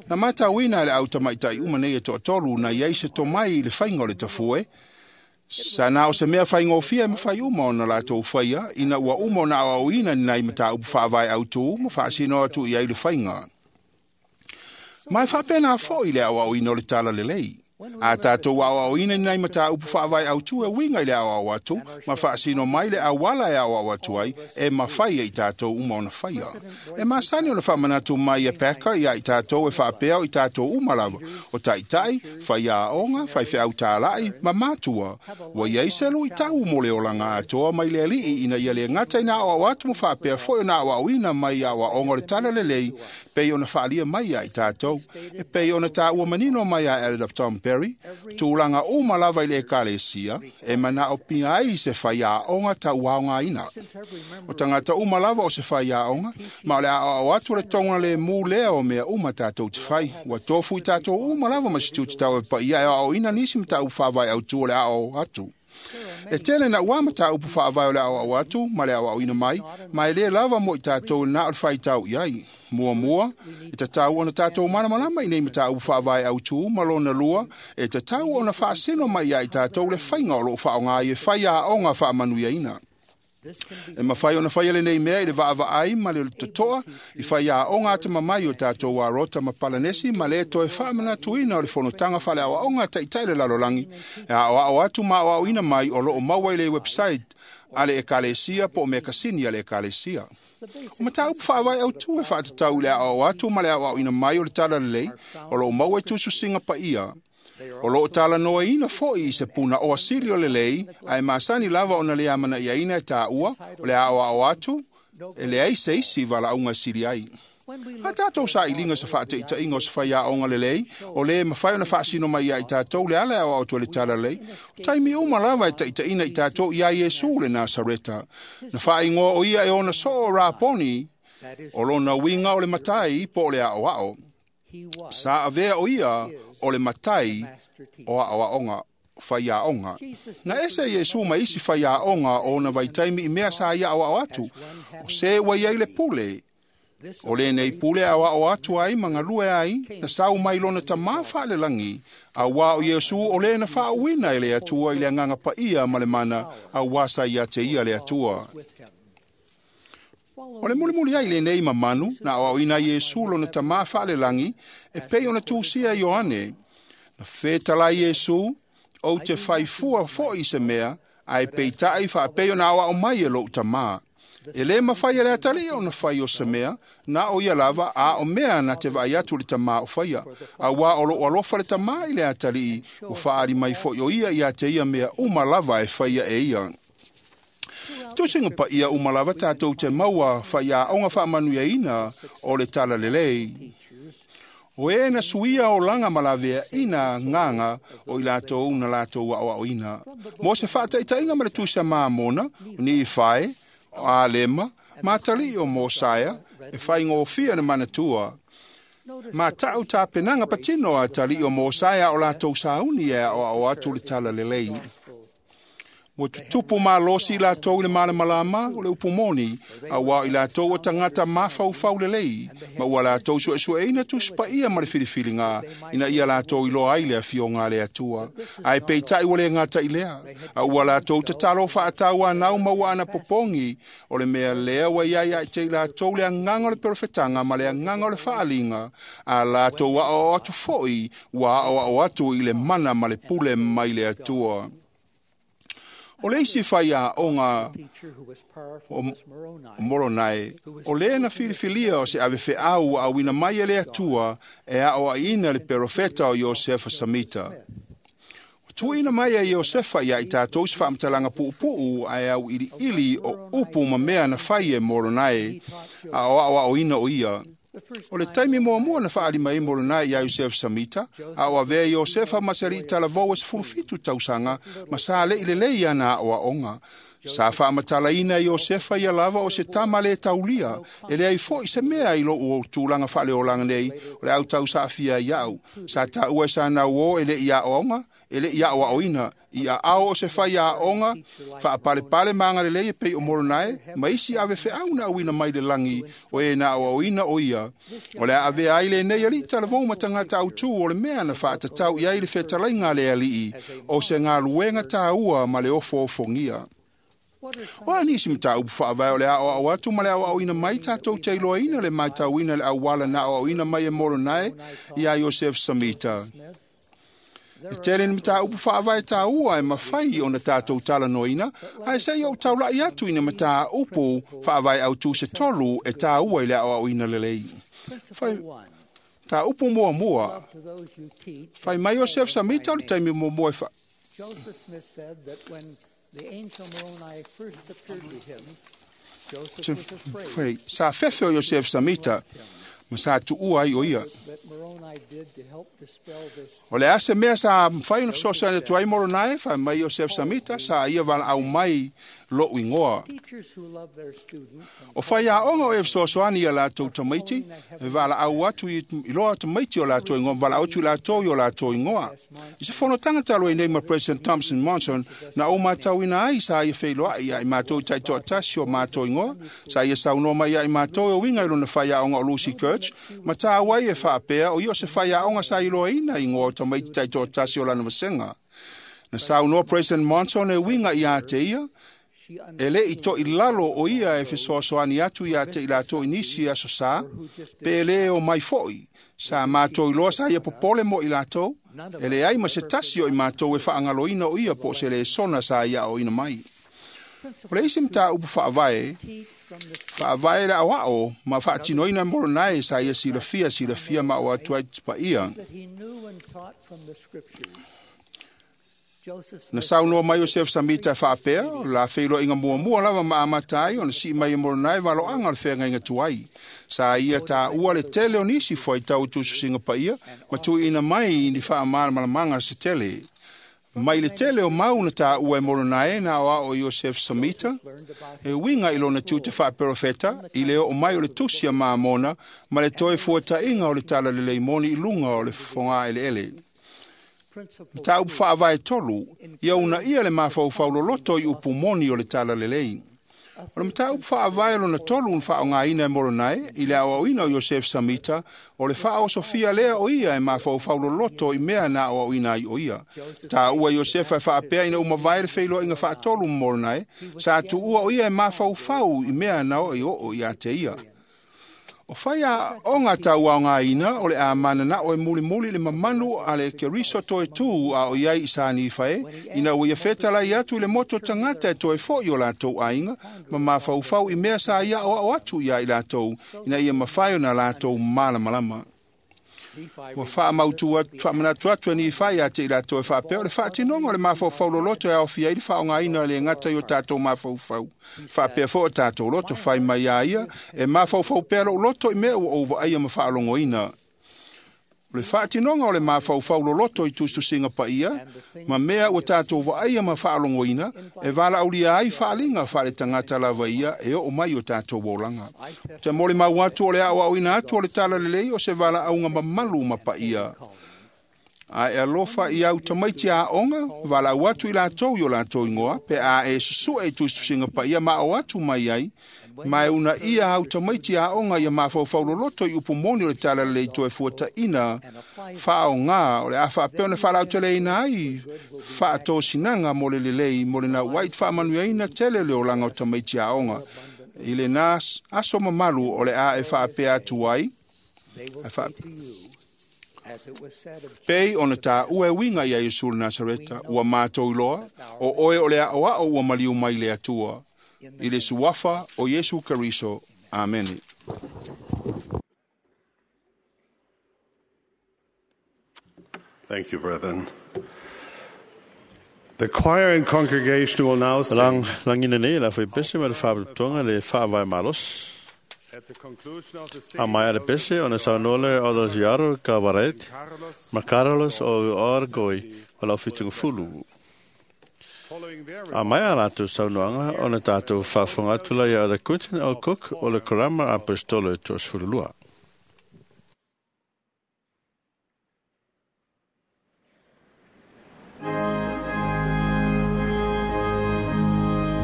Speaker 8: Na matauina e le au tamaitai uma nei e toatolu na iai se tomai i le faiga o le tafue, sa na o se mea faigofie ma fai uma ona latou faia, ina ua uma ona aoaoina ni nai mataupu faavae autū ma faasino atu i ai le faiga. Mai faapena foʻi le aʻoaʻoina o le talalelei. A tatou aʻoaʻoina i nai mataupu faavae autū e uiga i le aʻoaʻo atu ma faasino mai le auala e aʻoaʻo atu ai e mafai e i tatou uma ona faia. E masani ona faamanatu mai e Packer ia i tatou e faapea o i tatou uma lava o taʻitaʻi, faiaoga, faifeau tālaʻi ma matua. Ua iai se luʻitau mo le olaga atoa mai le aliʻi ina ia le gata i na aʻoaʻo atu ma faapea foʻi ona aʻoaʻoina mai aʻoaʻoga o le talalelei pei ona faalia mai ia i tatou. E pei ona tāua manino mai a Elder Tom Perry, tulaga uma lava i le ekalesia, e manaʻo pia ai se faiaoga tauaogaina. O tagata uma lava o se faiaoga, ma o le aʻoaʻo atu le toga lemu lea o mea uma tatou te fai. Ua tofu i tatou uma lava ma se tutitau e paia e aʻoaʻoina nisi mataupu faavae autū o le aʻo atu. E tele na ua mataupu faavae o le aʻoaʻo atu ma le aʻoaʻoina mai, ma e lē lava mo i tatou na o le faitau i ai. Muamua, e tatau ona tatou malamalama i nei mataupu faavae autū ma lona lua, e tatau ona faasino mai ia i tatou le faiga o loo faaaoga ai e faiaoga faamanuiaina. E mafai ona faia lenei mea i le vaavaai ma le totoa i faiaoga atamamai o tatou arota ma palanesi ma le toe faamanatuina o le fonotaga faaleaoaoga taʻitaʻi le lalolagi e aʻoaʻo atu ma aʻoaʻoina mai o loo maua i le website a le ekalesia po o mekasini a le ekalesia. O mataupu faavae autū e faatatau i le aʻoaʻo atu ma le aʻoaʻoina mai o le talalelei o loo maua i tususiga paia. O loo talanoaina foʻi i se punaoa sili o lelei ae masani lava ona le amanaʻiaina e tāua o le aʻoaʻo atu e leai se isi valaauga e sili ai. A tatou saʻiliga se faataʻitaʻiga o se faiaoga lelei o lē mafai ona faasino mai ia i tatou le ala e aoao atu e le talalelei. O taimi uma lava e taʻitaʻina i tatou iā Iesu le Nasareta. Na faaigoa o ia e ona soo o Raponi, o lona uiga o le matai po o le aʻoaʻo. Sa avea o ia o le matai o aʻoaʻoga faiaoga. Na ese Iesu ma isi faiaoga o ona vaitaimi i mea sa ia aʻoaʻo atu, o se ua iai le pule. O lenei pule aʻoaʻo atu ai ma galue ai, na sau mai lona tamā faalelagi, auā o Iesu o lē na faauuina e le Atua i le agaga paia ma le mana, auā sa ia te ia le Atua. O le mulimuli ai lenei mamanu, na aʻoaʻoina Iesu lona tamā faalelagi, e pei ona tusia Ioane. Na fetalai Iesu, ou te faifua foʻi se mea, ae peitaʻi faapei ona aʻoaʻo mai e loʻu tamā. E lē mafai e le atalii ona fai o se mea, na o ia lava a o mea na te vaai atu le tamā o faia. Auā o loo alofa le tamā i le atalii, ua faaali mai foʻi o ia ia te ia mea uma lava e faia e ia. Tusiga paia uma lava tatou te maua faiaoga faamanuiaina o le talalelei. O e na suia o laga ma laveaʻina gaga o i latou na latou aʻoaʻoina. Mo se faataʻitaʻiga ma le tusi Mamona, o Nifae, o Alema, ma atalii o Mosaia, e faigofia na manatua. Ma taʻu tapenaga patino a atalii o Mosaia o latou sauni e aʻoaʻo atu le talalelei. Ua tutupu malosi i latou i le malamalama o le upu moni, auā o i latou o tagata mafaufau lelei, ma ua latou suesueina tusipaia ma le filifiliga, ina ia latou iloa ai le afioga a le Atua. Ae peitaʻi ua le gata i lea, a ua latou tatalo faatauanau ma ua anapopogi, o le mea lea ua iai ia te i latou le agaga o le perofetaga ma le agaga o le faaliga, a latou aʻoaʻo atu foʻi ua aʻoaʻo atu i le mana ma le pule mai le Atua. O le isi faiaoga o Moronae, o lē na filifilia o se avefeau ua auina mai e le Atua e aʻoaʻiina le perofeta o Iosefa Samita. Tuuina mai e Iosefa ia i tatou se faamatalaga puupuu ae auiliili o upu ma mea na fai e Moronae a o aʻoaʻoina o ia. O le taimi muamua na faalima ai Moronae iā Iosefa Samita, a o avea Iosefa ma se aliʻi talavou e sefulufitu tausaga ma sa leʻi lelei ana aʻoaʻoga. Sa faamatalaina Iosefa ia lava o se tama lē taulia, e leai foʻi se mea i loʻu o tulaga faaleolaga nei o le au tausaafia ai aʻu. Sa taua e sa nauō e leʻi aʻoaoga, e leʻi aʻoaʻoina, i aʻao o se fai aʻoga, faapalepale ma agalelei e pei o Moronae, ma isi avefeau na auina mai le lagi o e na aʻoaʻoina o ia. O le a avea ai lenei aliʻi talavou ma tagata autū o le mea na faatatau i ai le fetalaiga a le aliʻi, o se galuega tāua ma le ofoofogia. O a nisi mataupu faavae o le aoao atu ma le aoaoina mai tatou te iloaina le matauina le auala na aoaoina mai e Moronae iā Iosef Samita. E tele ni mataupu faavae tāua e mafai ona tatou talanoaina, ae seia ou taula'i atu i ni mataupu faavae autū se tolu e tāua i le aoaoina lelei. Fai, mataupu muamua, fai mai Iosef Samita o le taimi muamua e fa
Speaker 6: Joseph Smith said that when the angel Moroni first appeared to him, Joseph was afraid
Speaker 8: Fai, sa fefe o Iosef Samita, ma sa tuua ai o ia.
Speaker 6: that Moroni did to help dispel this
Speaker 8: O le ase mea sa mafai ona fesoasoani atu ai Moronae, fai mai Iosef Samita, sa ia valaau mai lo'u igoa.
Speaker 6: teachers who love their students and
Speaker 8: O faiaoga o e fesoasoani ia latou tamaiti, e valaau atu i i loa tamaiti o latou igoa, ma valaau atu i latou i o latou igoa. I se fonotaga talu ai nei ma President Thompson Monson, na ou matauina ai sa ia feiloai ia i matou i taitoatasi o matou igoa, sa ia saunoa mai ia i matou e uiga i lona faiaoga o Lucy Kirch, ma tāua ai e faapea o ia o se faiaoga sa iloaina igoa o tamaiti taitoatasi o lana vasega. Na saunoa President Monson e uiga ia te ia,
Speaker 6: she
Speaker 8: e le i to'i lalo o ia e fesoasoani atu ia te i latou i nisi aso sā, pe le o mai fo'i, sa mātou iloa sa ia popole mo i latou, e leai ma se tasi o i mātou e faagaloina o ia po o se lesona sa ia aoina mai. O le isi mataupu faavae,
Speaker 6: teach from the
Speaker 8: faavae le aoao ma faatinoina Moronae sa ia silafia silafia ma o atu ai paia.
Speaker 6: that he knew and taught from the scriptures. Joseph
Speaker 8: Na
Speaker 6: Smith
Speaker 8: saunoa mai Iosef Samita e faapea, o le la feiloaiga muamua lava ma amata ai ona sii mai e Moronae valoaga o le feagaiga tuai. Sa ia tāua le tele o nisi fuaitau i tusitusiga paia, ma tuuina mai ni faamalamalamaga se tele. Mai le tele o mau na tāua e Moronae na aoao Iosef Samita, e uiga i lona tiute faaperofeta, i le oo mai o le tusi a Mamona, ma le toe fuataʻiga o le talalelei moni i luga o le fogaeleele.
Speaker 6: principle
Speaker 8: Mataupu faavae tolu, ia unaia le mafaufau loloto i upu moni o le talalelei. O le mataupu faavae lona tolu na faaaogaina e Moronae i le aoaoina o Iosef Samita, o le faaosofia lea o ia e mafaufau loloto i mea na aoaoina ai o ia. Tāua Iosefa e faapea ina ua mavae le feiloaiga faatolu ma Moronae, sa tuua o ia e mafaufau i mea na oo i oo ia te ia. O faiaoga tauaogaina o le a mananao e mulimuli le mamalu a le Keriso toe tū a o iai i sa Nifae, ina ua ia fetalai atu i le moto tagata e toe fo'i o latou aiga, ma mafaufau i mea sa ia aoao atu ia i latou, ina ia mafai ona latou malamalama. Ua faamautu atu, faamanatu atu e Nifai ia te i latou e faapea o le faatinoga o le mafaufau loloto e aofia ai le faaaogaina e le gata i o tatou mafaufau. Faapea foi o tatou loto fai mai a ia, e mafaufau pea lou loto i mea ua ou vaaia ma faalogoina. O le faatinoga o le mafaufau loloto i tusitusiga paia, ma mea ua tatou vaaia ma faalogoina, e valaaulia ai faaaliga faaletagata lava ia e oo mai o tatou olaga. Te molimau atu o le aoaoina atu o le talalelei o se valaauga mamalu ma paia. Ae alofa i au tamaiti aoga, valaau atu i latou i o latou igoa, pe a e susue i tusitusiga paia ma ao atu mai ai, ma e unaia au tamaiti aoga ia mafaufau loloto i upu moni o le talalelei toe fuataʻina faaaogā o le a faapea ona faalauteleina ai faatosinaga mo le lelei mo le nauai faamanuiaina tele le olaga o tamaiti aoga i lena aso mamalu o le a e faapea atu ai
Speaker 6: they will
Speaker 8: e faa-
Speaker 6: say to you, as it was said of
Speaker 8: pei ona tāua e uiga ia Iesu le Nasareta, ua mātou iloa, o oe o le aoao ua maliu mai le Atua, i le suafa o Iesu Keriso. Amene.
Speaker 3: Thank you, brethren. The choir and congregation will now sing
Speaker 2: Lang, langina nei la fai pese ma le faapotopotoga le faavae malosi.
Speaker 3: at the conclusion of the
Speaker 2: A
Speaker 3: singing.
Speaker 2: mai le pese ona saunoa le o le ziaro ka varet,
Speaker 3: Carlos,
Speaker 2: ma Carlos o Orgoi o lau fitungafulu.
Speaker 3: following their
Speaker 2: A mai a latou saunoaga ona tatou faafofoga atu la ia le Quentin O. Cook o le Korama Apostolo e toasefululua.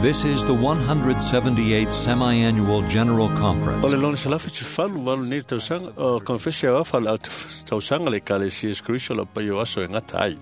Speaker 1: This is the one hundred seventy-eighth Semi-Annual General
Speaker 2: O
Speaker 1: Conference
Speaker 2: le lona selafi tufalu walu nei tausaga o konfesi a ofa le tausaga le Ekalesia Iesu Keriso o lau paia o aso e gata ai.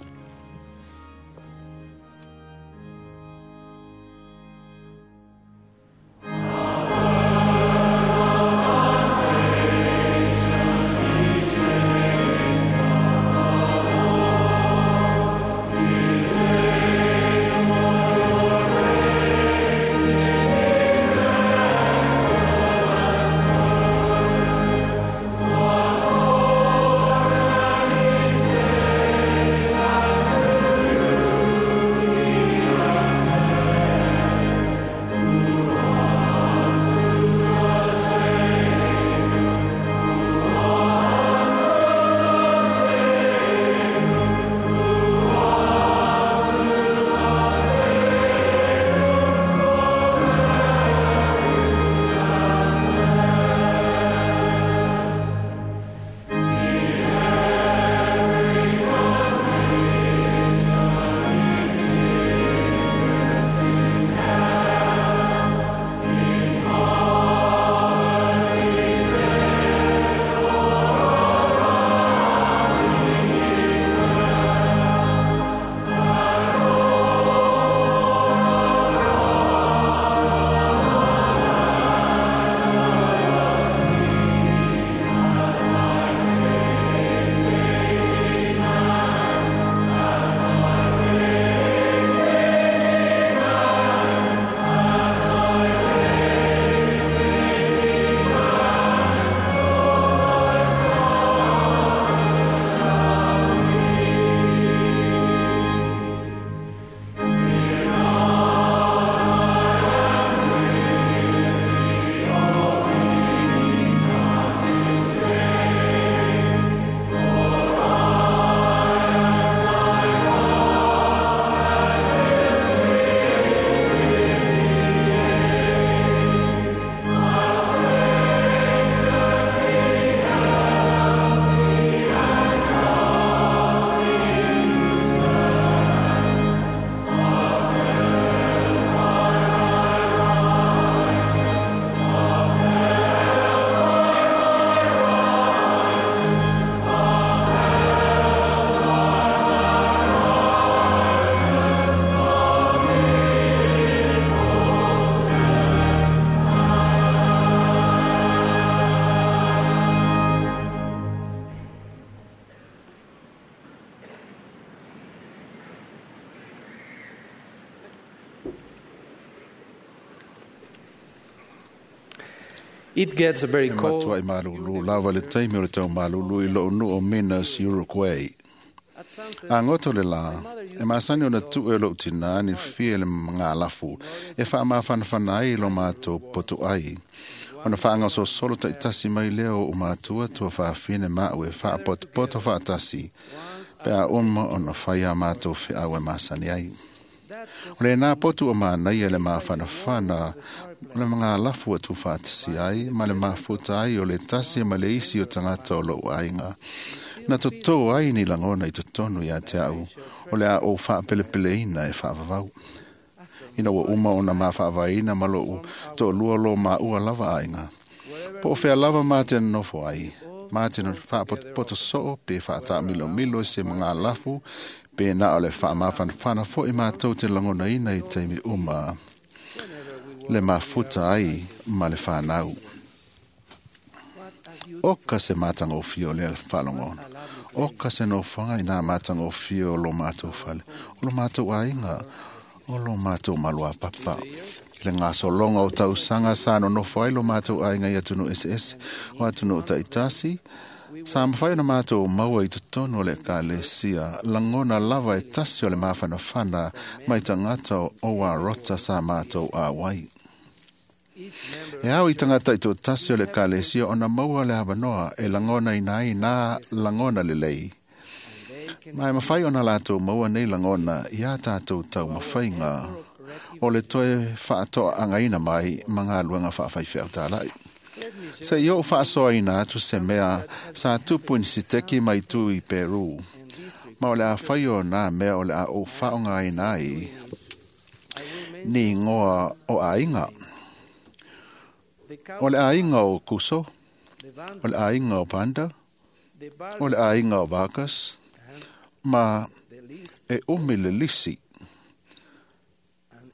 Speaker 5: It gets very
Speaker 9: E
Speaker 5: cold.
Speaker 9: matuai malulu lava le taimi o le tau malulu i lou nuu o Minas, Uruguay. A goto le lā, e masani ona tuu e lou tinā ni fia le magalafu e faamafanafana ai i lo matou potu ai. Ona faagasolosolo taitasi mai lea o matua tuafafine ma'u e faapotopoto faatasi pe a uma ona fai a matou feau e masani ai. O lenā potu o manaia le mafanafana o le magalafu ua tuufaatasi ai ma le mafuta ai o le tasi ma le isi o tagata o lou aiga. Na totō ai ni lagona i totonu iā te a'u o le a ou faapelepeleina e faavavau. Ina ua uma ona mafaavaina ma lo'u to'alua lo maua lava aiga. Po o fea lava ma te nonofo ai, ma te faapotopoto soo pe faataamilomilo i se magalafu pe na o le faamafanafana fo'i matou te lagonaina i taimi uma le mafuta ai ma le fanau. Oka se matagofie o lea faalogona. Oka se nofoaga i nā matagofie o lo matou fale, o lo matou aiga, o lo matou maluapapa. I le gasologa o tausaga sa nonofo ai lo matou aiga i atunuu eseese o atunuu taitasi, sa mafai ona matou maua i totonu o le ekalesia lagona lava e tasi o le mafanafana mai tagata o Warota sa matou auai. E ao i tagata i tasi o le ekalesia ona maua le avanoa e lagonaina ai nā lagona lelei. Ma e mafai ona latou maua nei lagona iā tatou taumafaiga o le toe faatoagaina mai ma galuega faafaifeau talai. Se i oo faasoaina atu se mea sa tupu i Siteki mai tu i Peru. Ma o le a fai o nā mea o le a ou faaaogaina ai ni igoa o aiga. O le aiga o Kuso, o le aiga o Panda, o le aiga o Vargas, ma e umi le lisi.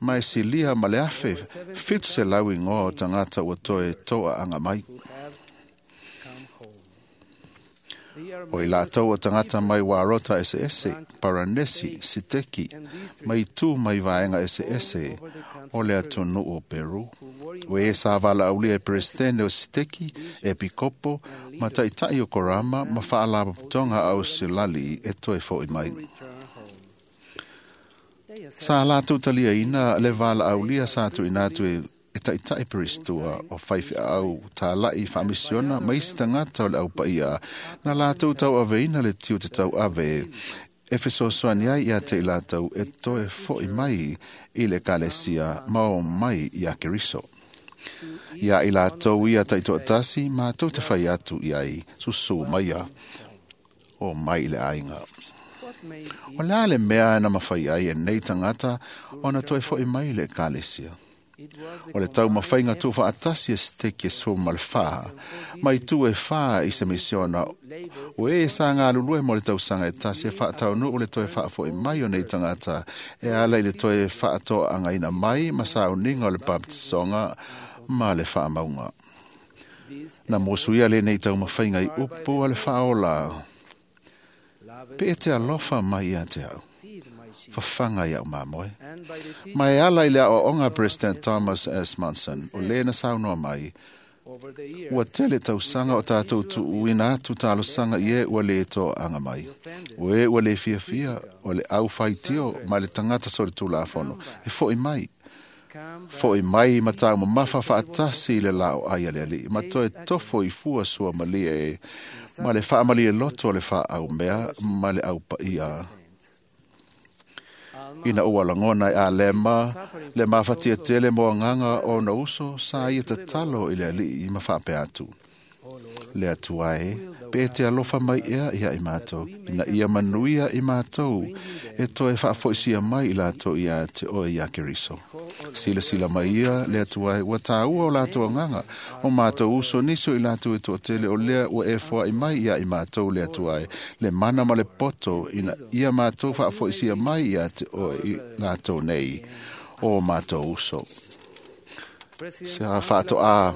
Speaker 9: Ma e silia ma le afe fitu selau igoa o tagata ua toe toaaga mai. O i latou o tagata mai Warota eseese, Paranesi, Siteki, mai tu mai vaega eseese o le atunuu o Peru. O e sa valaaulia e Peresetene o Siteki, e Pikopo, ma taʻitaʻi o Korama ma faalapotopotoga a Auselali e toe foʻi mai. Sa latou taliaina le valaaulia sa tuuina atu e e taʻitaʻi Peristua o faifeau talaʻi faamisiona ma isi tagata o le aupaia na latou tauaveina le tiute tauave e fesoasoani ai iā te i latou e toe foʻi mai i le ekalesia ma o mai iā Keriso. Iā i latou ia taitoatasi matou te fai atu i ai susū maia o mai i le aiga. O le a le mea na mafai ai e nei tagata ona toe foʻi mai i le ekalesia. O le taumafaiga tuufaatasi e Siteki e sefulu ma le fā, mai tu e fā i se misiona o e sa galulue mo le tausaga e tasi e faataunuu le toe faafoʻi mai o nei tagata e ala i le toe faatoagaina mai ma sauniga o le papatisoga ma le faamauga. Na musuia lenei taumafaiga i upu a le faaola. Pe e te alofa mai ia te au. Fafaga ia'u mamoe. Ma e ala i le aoaoga President Thomas S. Monson, o lē na saunoa mai, ua tele tausaga o tatou tuuina atu talosaga i e ua lē toaaga mai. O e ua lē fiafia, o le au faitio ma le tagata solitulafono, e foʻi mai. Foʻi mai ma taumamafa faatasi i le laoai a le alii, ma toe tofo i fua suamalie e, ma le faamalie loto o le faaumea ma le aupaia. Ina ua lagona e Alema le mafatia tele mo agaga o ona uso sa ia tatalo i le alii ma faapea atu. Le Atua e, pe te alofa mai ea ia i matou, ina ia manuia i matou, e toe faafoisia mai i latou ia te oe iā Keriso. Silasila mai ia le Atua e, ua tāua o latou agaga, o matou uso niso i latou e toatele o lea ua e foai mai ia i matou le Atua e, le mana ma le poto ina ia matou faafoisia mai ia te oe i latou nei, o matou uso. Se a faatoā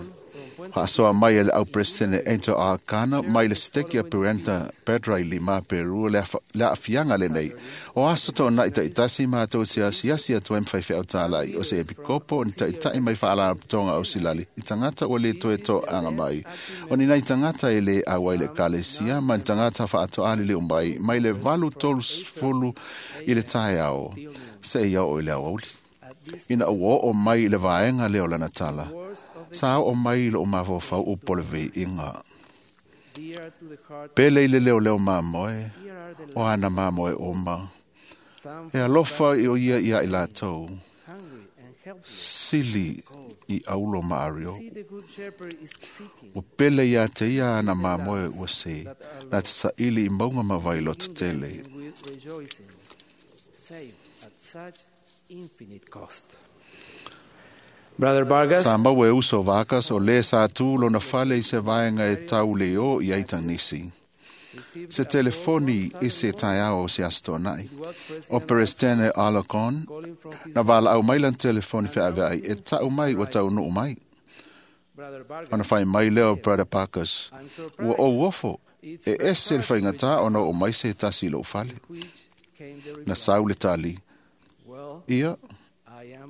Speaker 9: Faasoa mai e le au Peresetene Angel Arcana mai le Siteki a Purenta Pedra i Lima Peru le aafiaga lenei. O aso toonai taitasi matou te asiasi atu ai ma faifeau talai o se epikopo o ni taitai mai faalapotopotoga o silali i tagata ua lē toe toaga mai. O ni nai tagata e lē auai le ekalesia ma ni tagata faatoa liliu mai mai le valu tolusefulu i le taeao seia oo i le aoauli. Ina ua oo mai i le vaega lea o lana tala, sa oo mai i lou mafaufau upu o le veiiga. Pele i le leoleo mamoe, o ana mamoe uma. E alofa i o ia ia i latou. Sili i aulo ma ario. Ua pele ia te ia ana mamoe ua se, na te saili i maunga ma vailoto tele.
Speaker 5: Brother Vargas.
Speaker 9: Sa maua e uso Vargas o lē sa tu lona fale i se vaega e tau le o i ai tanisi. Se telefoni i se taeao o se aso toonai. O Peresetene Alarcon na valaau mai lana telefoni feaveai e tau mai ua taunuu mai. Ona fai mai lea o Brother Parkers, ua ou ofo, e ese le faigata ona oo mai se tasi i lou fale. Na sau le tali, ia,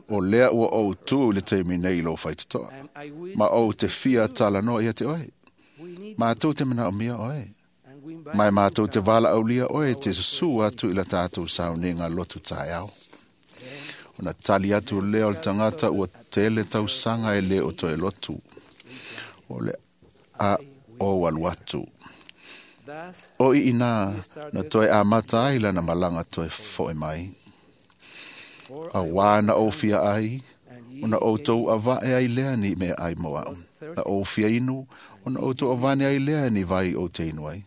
Speaker 9: o lea ua ou tu i le taimi nei i lou faitotoa, ma ou te fia talanoa ia te oe. Matou te manaomia oe. Ma e matou te valaaulia oe te susū atu i la tatou sauniga lotu taeao. Ona tali atu lea o le tagata ua tele tausaga e lē o toe lotu. O le a ou alu atu. O i inā na toe amata ai lana malaga toe fo'i mai. Auā na ou fia ai, ona outou avae ai lea ni meaai mo a'u. Na ou fia inu, ona outou avane ai lea ni vai ou te inu ai.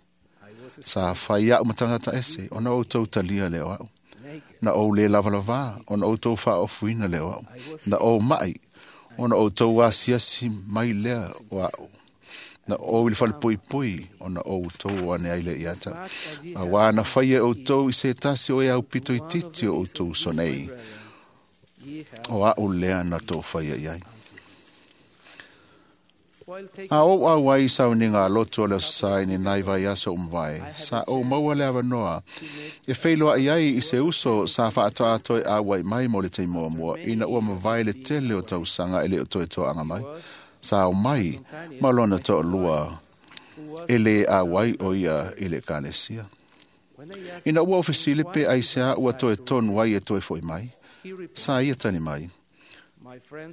Speaker 9: Sa fai a'u ma tagata ese, ona outou talia lea o a'u. Na ou lē lavalavā, ona outou faaofuina lea o a'u. Na ou ma'i, ona outou asiasi mai lea o a'u. Na ou i le falepuipui, ona outou o ane ai lea ia te a'u. Auā na faia e outou i se tasi o e aupito itiiti o outou uso nei. O a'u lea na tou faia i ai. A ou auai i sauniga a lotu o le Aso Sa i ni nai vaiaso ua mavae, sa ou maua le avanoa e feiloai ai i se uso sa faatoa toe auai mai mo le taimi muamua ina ua mavae le tele o tausaga e lē o toe toaga mai. Sa o mai ma lona toalua e lē auai o ia i le ekalesia. Ina ua ofesili pe aisea ua toe tonu ai e toe fo'i mai, sa ia tali mai.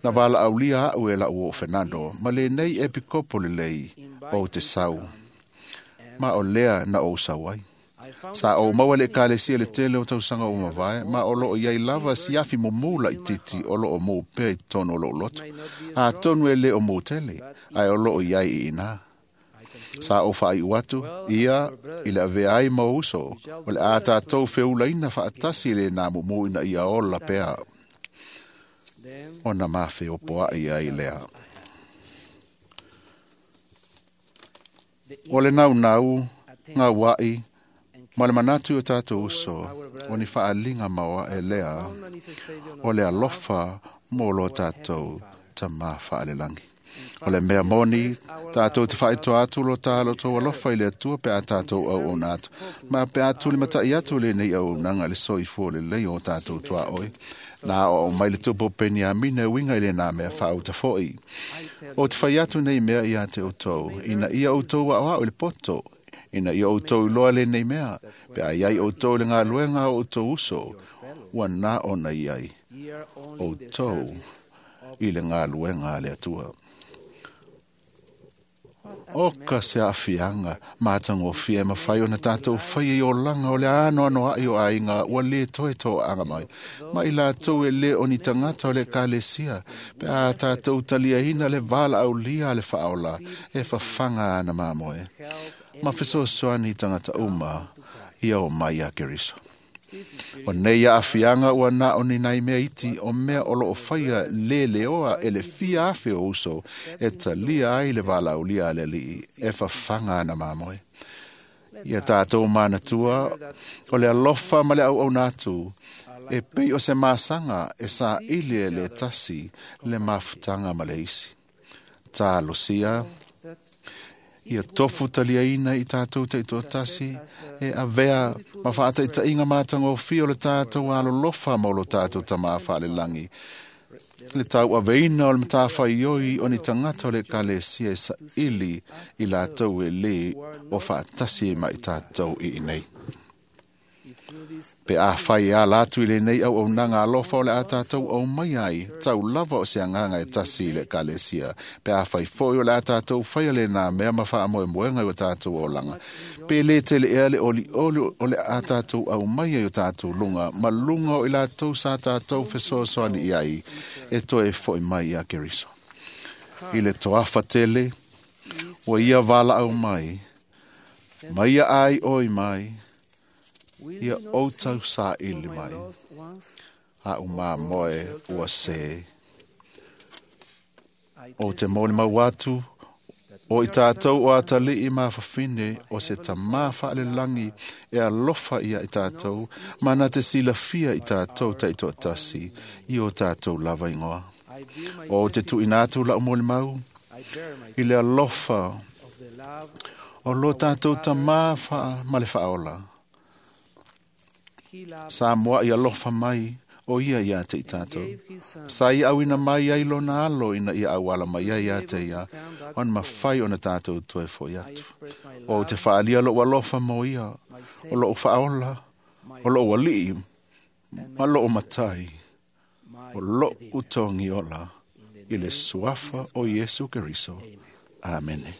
Speaker 9: Na valaaulia a'u e la'u oo Fernando ma lenei epikopo lelei ou te sau, ma o lea na ou sau ai. Sa ou maua le ekalesia le tele o tausaga ua mavae, ma o loo iai lava siafi mumu laititi o loo mou pea i totonu o lou loto. Atonu e lē o mou tele, ae o loo iai i inā. Sa ou faaiu atu, ia i le avea ai ma ou uso, o le a tatou feulaina faatasi i lenā mumu ina ia ola pea. Ona mafeopoa'i ai lea. O le naunau, gaua'i, ma le manatu i o tatou uso, o ni faaliga maoae lea, o le alofa mo lo tatou tamā faalelagi. O le mea moni, tatou te faaitoa atu lo tā lo tou alofa i le Atua pe a tatou auauna atu, ma pe a tulimatai atu lenei auaunaga i le soifua lelei o tatou tuaoi. Na oo mai le tupu o Peniamina e uiga i lenā mea faauta fo'i. O te fai atu nei mea ia te outou, ina ia outou aoao i le poto, ina ia outou iloa lenei mea, pe a iai outou i le galuega a outou uso, ua na ona iai outou i le galuega a le Atua. O ka se aafiaga matagofie e mafai ona tatou faia i olaga o le anoanoa'i o aiga ua lē toe toaaga mai, ma i latou e lē o ni tagata o le ekalesia, pe a tatou taliaina le valaaulia a le Faaola e fafaga ana mamoe, ma fesoasoani i tagata uma ia o mai ia Keriso. O nei aafiaga ua na o ni nai mea iti o mea o loo faia leleoa e le fia afe o uso e talia ai le valaaulia a le Alii e fafaga ana mamoe. Ia tatou manatua o le alofa ma le auauna atu e pei o se masaga e saili e le tasi le mafutaga ma le isi. Talosia ia tofu taliaina i tātou taitoatasi e avea ma faataitaiga matagofie o le tātou alolofa ma o lo tātou tamā faalelagi. Le tauaveina o le matafaioi o ni tagata o le ekalesia e saili i latou e lē o faatasi ma i tātou i inei. Pe afai e ala atu i lenei auaunaga alofa o le a tātou aumai ai, tau lava o se agaga e tasi i le ekalesia. Pe afai foi o le a tātou faia lenā mea ma faamoemoega i o tātou olaga. Pe lē tele ea le olioli o le a tātou aumai ai o tātou luga, ma luga o i latou sa tātou fesoasoani i ai, e toe fo'i mai ia Keriso. I le toafa tele, ua ia valaau mai, ma ia ai oi mai, ia outau saili mai, a umamoe ua se. O te molimau atu, o i tātou o atalii mafafine o se tamā faalelagi e alofa ia i tātou, ma na te silafia i tātou taitoatasi i o tātou lava ingoa. O te tuuina atu lau molimau, i le alofa o lo tātou tamā wha, ma le faaola. Sa moa i alofa mai o ia ia te i tātou. Sa i auina mai ai lona alo ina ia auala mai ai ia te ia, ona mawhai ona tātou toe foi atu. O te whaalia lou alofa mo ia, o lou whaola, o lou alii, ma lou matai, o lou utongi ola, i le suafa o Iesu Keriso. Amene.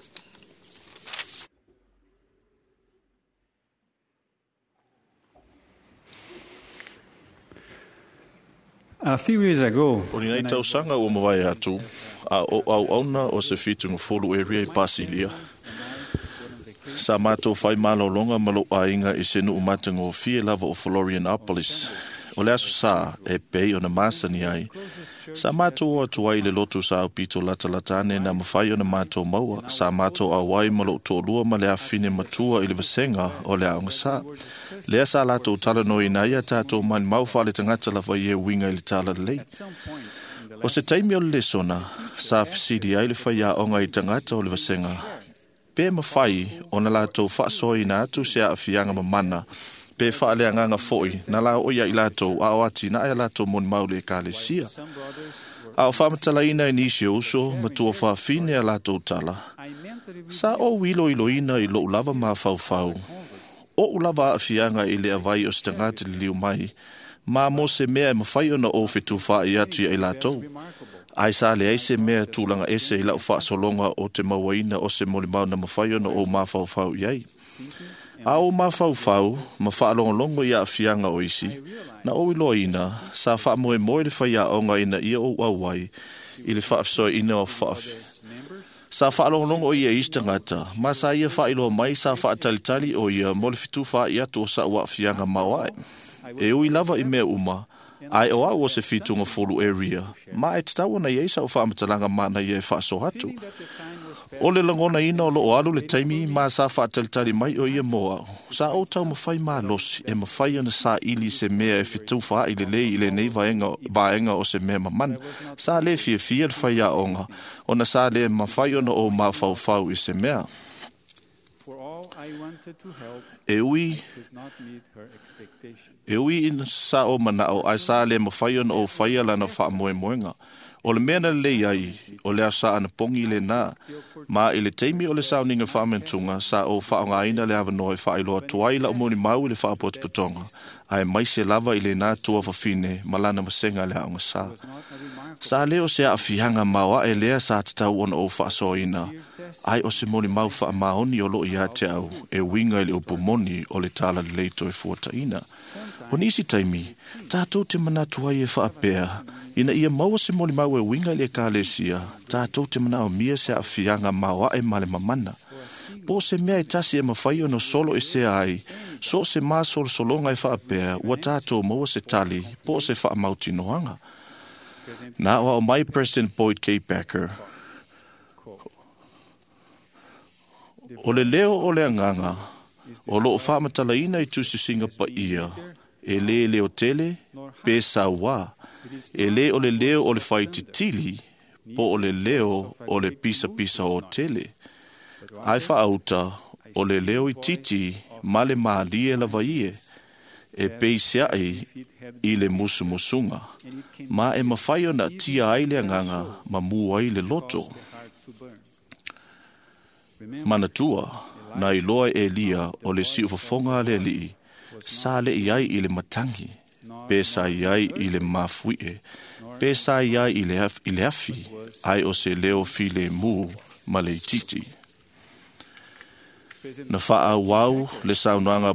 Speaker 10: A few years ago,
Speaker 11: O ni nei tausaga ua mavae atu, a o auauna o se fitugafolu area i Pasilia. Sa mātou whai malolonga ma lou aiga i se nuu matagofie lava o Florianopolis. O le aso sa e pei ona masani ai. Sa mātou o atu ai le lotu sa aupito latalatane na mawhai ona mātou maua. Sa mātou auai ma lou to'alua ma le afine matua i le vasenga o le aoga sa. Lea sa latou talanoina ai a tātou malimau faale tagata lava i e uiga i le talalelei. O se taimi o le lesona, sa fesili ai le faiaoga i tagata o le vasenga. Pe mawhai ona latou faasoaina atu se aafiaga mamana, pe faaleagaga fo'i na la o ia i latou a o atinae a latou molimau le ekalesia. A o faamatalaina e nisi o uso ma tuafafine a latou tala. Sa ou iloiloina i lou lava mafaufau. Oʻu lava aafiaga i le avai o se tagata liliu mai, ma mo se mea e mafai ona ou fetufaai atu ia i latou. Ai sa leai se mea tulaga ese i lau faasologa o te mauaina o se molimau na mafai ona ou mafaufau i ai. A o mafaufau ma faalogologo i aafiaga o isi, na ou iloaina sa faamoemoe le faiaoga ina ia ou auai i le faafesoaina o faafi. Sa faalogologo o ia i isi tagata, ma sa ia faailoa mai sa faatalitali o ia mo le fetufaai atu o sa'u aafiaga maoae. E ui lava i mea uma, ae o au o se fitugafolu area, ma e tatau ona iai sa'u faamatalaga manaia e faasoa atu. O le lagonaina o loo alu le taimi ma sa faatalitali mai o ia mo au. Sa ou taumafai malosi e mafai ona saili se mea e fetufaai lelei i lenei vaega, vaega o se mea mamana. Sa lē fiafia le faiaoga, ona sa lē mafai ona ou mafaufau i se mea.
Speaker 10: for all I wanted to help,
Speaker 11: E ui
Speaker 10: I could not meet her expectation.
Speaker 11: E ui ina sa o manao ai sa le mawhai ona o whaia lana whaamoemoenga. O le mea na lelei ai, o le asa ana pongi le nā, ma i le taimi o le sauninga whaamentunga, sa o whaongaina le awanoa e whaailoa tuai la umoni mau i le whaapotopotonga, ae maise lava i le nā tua whawhine, ma lana masenga le aonga sa. Sa leo se aafianga maoae lea sa tatau ona o whaasoaina, ai o se moni mau whaamaoni o loo ia te au, e winga i le upu moni o le tala lelei toe fuataina. O nisi taimi, tātou te manatu ai e whaapea, ina ia maua se molimau e winga i le ekalesia, tātou te manaomia se aafiaga maoae ma le mamana. Po o se mea e tasi e mafai ona solo e sea ai, so o se masolosologa e faapea, ua tātou maua se tali, po o se faamautinoaga. Na o ao mai President Boyd K. Packer. O le leo o le agaga, o loo faamatalaina i tusitusiga paia, e lē leo tele, pe sauā, e lē o le leo o le faititili, po o le leo o le pisapisa o tele. Ai faauta o le leo itiiti ma le mālie lava ie, e peisiai i le musumusuga, ma e mafai ona tia ai le agaga ma mu ai le loto. Manatua, na iloa e Elia o le siufofoga a le alii, sa le'i ai i le matagi, pe sa i ai i le mafuie, pe sa i ai i le af- i le afi, ai o se leo filemu ma le itiiti. Na faaauau le saunoaga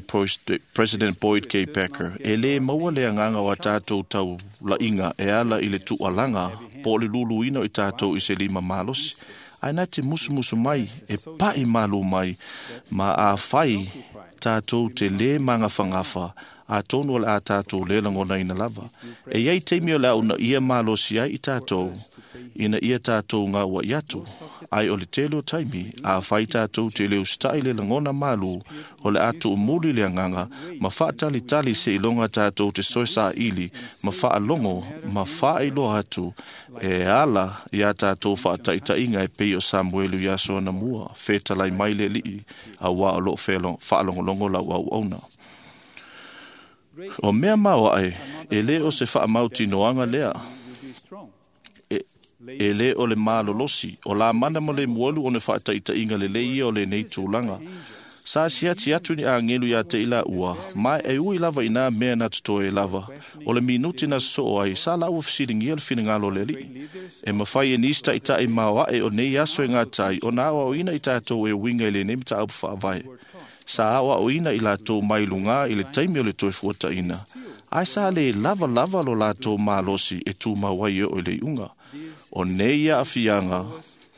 Speaker 11: President Boyd K. Packer, e lē maua le agaga o a tatou taula'iga e ala i le tu'alaga po o le luluina o i tatou i se lima malosi, ae na te musumusu mai e pa'i malū mai ma afai tatou te lē magafagafa atonu o le a tatou lē lagonaina lava. E iai taimi o le a unaia malosi ai i tatou ina ia tatou gaua'i atu, ai o le tele o taimi afai tatou te le usita'i le lagona malū o le a tu'umuli le agaga ma fa'atalitali seiloga tatou te soe sā'ili ma fa'alogo ma fa'ailoa atu e ala iā tatou fa'ata'ita'iga e pei o Samuelu iā Soanamua fetalai mai le ali'i auā o lo'o fa'alogologo lau auauna. O mea maoa'e, e lē o se fa'amautinoaga lea, e, e lē o le malolosi, o lamana ma le mualu ona fa'ata'ita'iga lelei ia o lenei tulaga. Sa siati atu ni agelu iā te i la'ua, ma e ui lava i nā mea na totoe lava, o le minuti na so'o ai, sa la'ua fesiligia le finagalo o le ali'i. E mafai e nisi ta'ita'i maoa'e o nei aso e gatai, ona aoaoina i tatou e uiga i lenei mataupu fa'avae. Sa aoaoina i latou mai lugā i le taimi o le toe fuataʻina, ae sa lē lava lava lo latou malosi e tumau ai e oo i le iʻuga. O nei aafiaga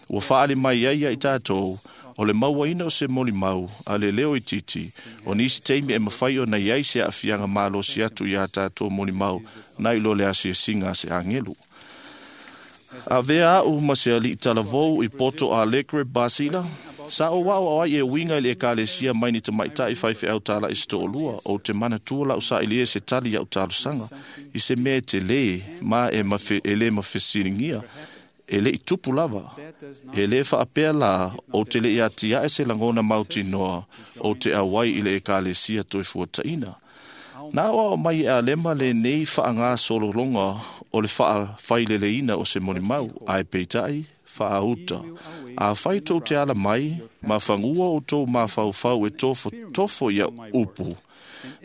Speaker 11: ua faaali mai ai ia i tatou, o le mauaina o se molimau a le leo itiiti, o nisi taimi e mafai ona iai se aafiaga malosi atu iā tatou molimau nai lo le asiasiga a se agelu. Avea a'u ma se ali'i talavou i Porto Alegre, Basila, sa ou a'oa'o ai e uiga i le ekalesia mai ni tamaita'i faife'au tala'i se to'alua, ou te manatua la'u sa'ili e se tali a'u talosaga, i se mea e telē ma e, mafe, e lē mafesiligia, e le'i tupu lava. E lē fa'apea lā ou te le'i atia'e se lagona mautinoa ou te auai i le ekalesia toe fuataʻina. Na aoao mai e Alema lenei fa'agasolologa o le fa'afaileleina o se molimau, ae peita'i fa'auta. Afai tou te ala mai, ma fagua outou mafaufau e tofotofo ia upu,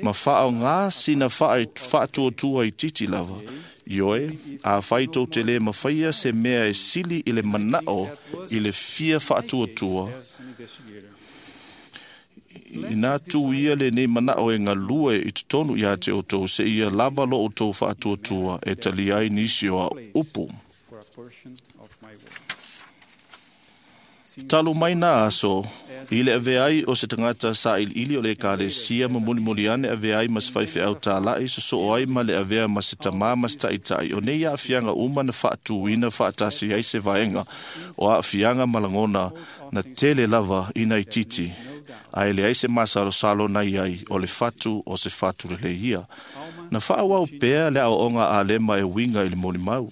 Speaker 11: ma fa'aogā sina fa'atuatua itiiti lava. Ioe, afai tou te lē mafaia se mea e sili i le mana'o i le fia fa'atuatua, inā tū ia lenei mana'o e galue i totonu iā te outou seia lava lo outou fa'atuatua e talia ai nisi o a'u upu. Talu mai nā aso, i le avea ai o se tagata sā'ili'ili o le ekalesia ma mulimuli ane avea ai ma se faife'au tala'i soso'o ai ma le avea ma se tamā ma se ta'ita'i, o nei a'afiaga uma na fa'atūina fa'atasi ai se vaega o a'afiaga ma lagona na tele lava ina itiiti, ae leai se masalosalo na iai o le fatu o se fatu lelei ia. Na fa'auau pea le a'oa'oga a Alema e uiga i le molimau.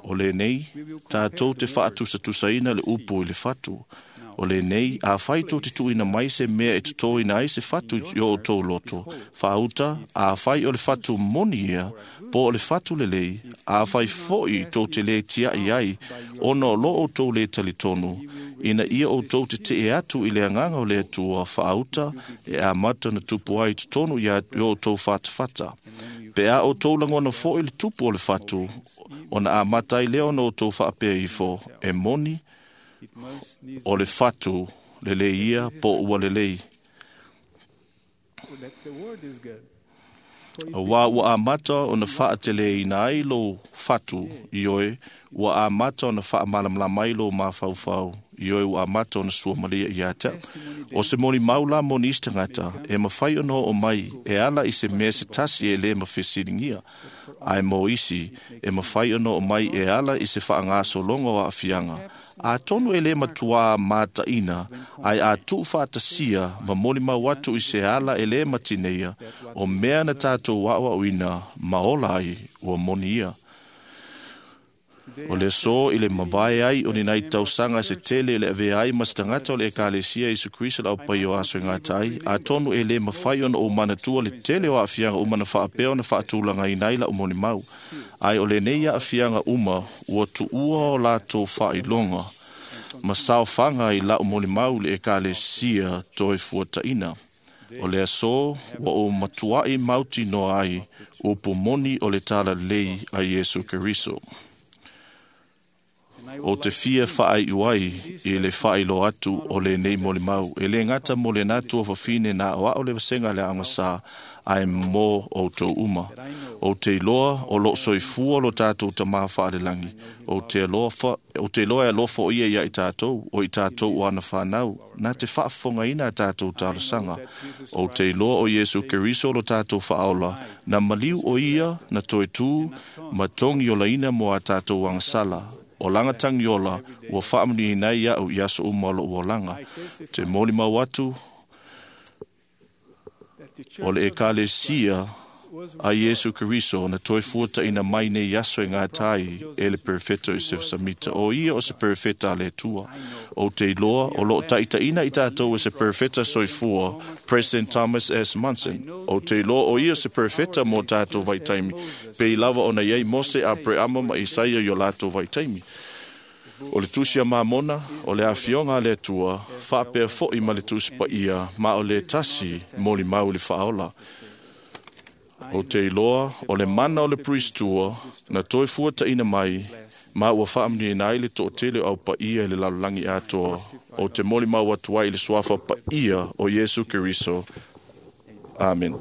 Speaker 11: O lenei, tatou te fa'atusatusaina le upu i le fatu. O lenei, afai tou te tu'uina mai se mea e totōina ai se fatu i o outou loto, fa'auta, afai o le fatu moni ia, po o le fatu lelei, afai fo'i tou te lē tia'i ai, ona o lo outou lē talitonu, ina ia outou tete'e atu i le agaga o le Atua fa'auta e amata na tupu ai i totonu ia i o outou fatafata. Pe a outou lagona fo'i le tupu o le fatu, ona amata ai lea ona outou fa'apea ifo, e moni, o le fatu lelei ia po ua lelei. Auā ua amata ona fa'ateleina ai lou fatu, ioe, ua amata ona fa'amalamalama ai lou mafaufau, ioe ua amata ona suamalia iā te a'u. O se molimau la mo nisi tagata, e mafai ona o'o mai e ala i se mea se tasi e lē mafesiligia, ae mo isi, e mafai ona o'o mai e ala i se fa'agasologa o a'afiaga. Atonu e lē matuā mataʻina, ae a tu'ufa'atasia ma molimau atu i se ala e lē matineia, o mea na tatou a'oa'oina ma ola ai ua moni ia. O le aso i le mavae ai o ni nai tausaga se tele le avea ai ma se tagata o le Ekalesia Iesu Keriso le aupaia o aso e gata ai, atonu e lē mafai ona ou manatua le tele o aafiaga uma na faapea ona faatulagaina ai la'u molimau. Ae o lenei aafiaga uma ua tuua o latou faailoga ma saofaga i la'u molimau i le Ekalesia toe fuataʻina. O le aso ua ou matuaʻi mautinoa ai upu moni o le talalelei a Iesu Keriso. O te fia faaiu ai i le faailoa atu o lenei molimau, e lē gata mo lenā tuafafine na aoao le vasega le aogasā, ae mo outou uma. Ou te iloa o loo soifua lo tatou Tamā faalelagi. Ou te alofa, ou te iloa e alofa o ia ia i tatou, o i tatou o ana whanau, nā te faafofogaina a tatou talosaga. Ou te iloa o Iesu Keriso lo tatou faaola, na maliu o ia, na toe tū, ma togi olaina mo a tatou agasala. O laga tagiola ua faamanuiaina ai iaʻu i aso uma o loʻu olaga. Te molimau atu o le Ekalesia a Iesu Keriso na toe fuataʻina mai nei aso e gata ai e le Perefeta o Iosefa Samita. O ia o se Perefeta a le Atua. Ou te iloa o loo taʻitaʻina i tatou e se Perefeta soifua, President Thomas S. Monson. Ou te iloa o ia o se Perefeta mo tatou vaitaimi, pei lava ona iai Mose, Apereama ma Isaia i o latou vaitaimi. O le tusi a Mamona, o le afioga a le Atua, faapea foʻi ma le tusi paia, ma o le tasi molimau i le faaola. O te iloa o le mana o le Priestua na toe fuataʻina mai, ma ua faamanuiaina ai le toʻatele o aupaia i le lalolagi atoa. O te molimau atu ai i le suafa paia o Iesu Keriso. Amen.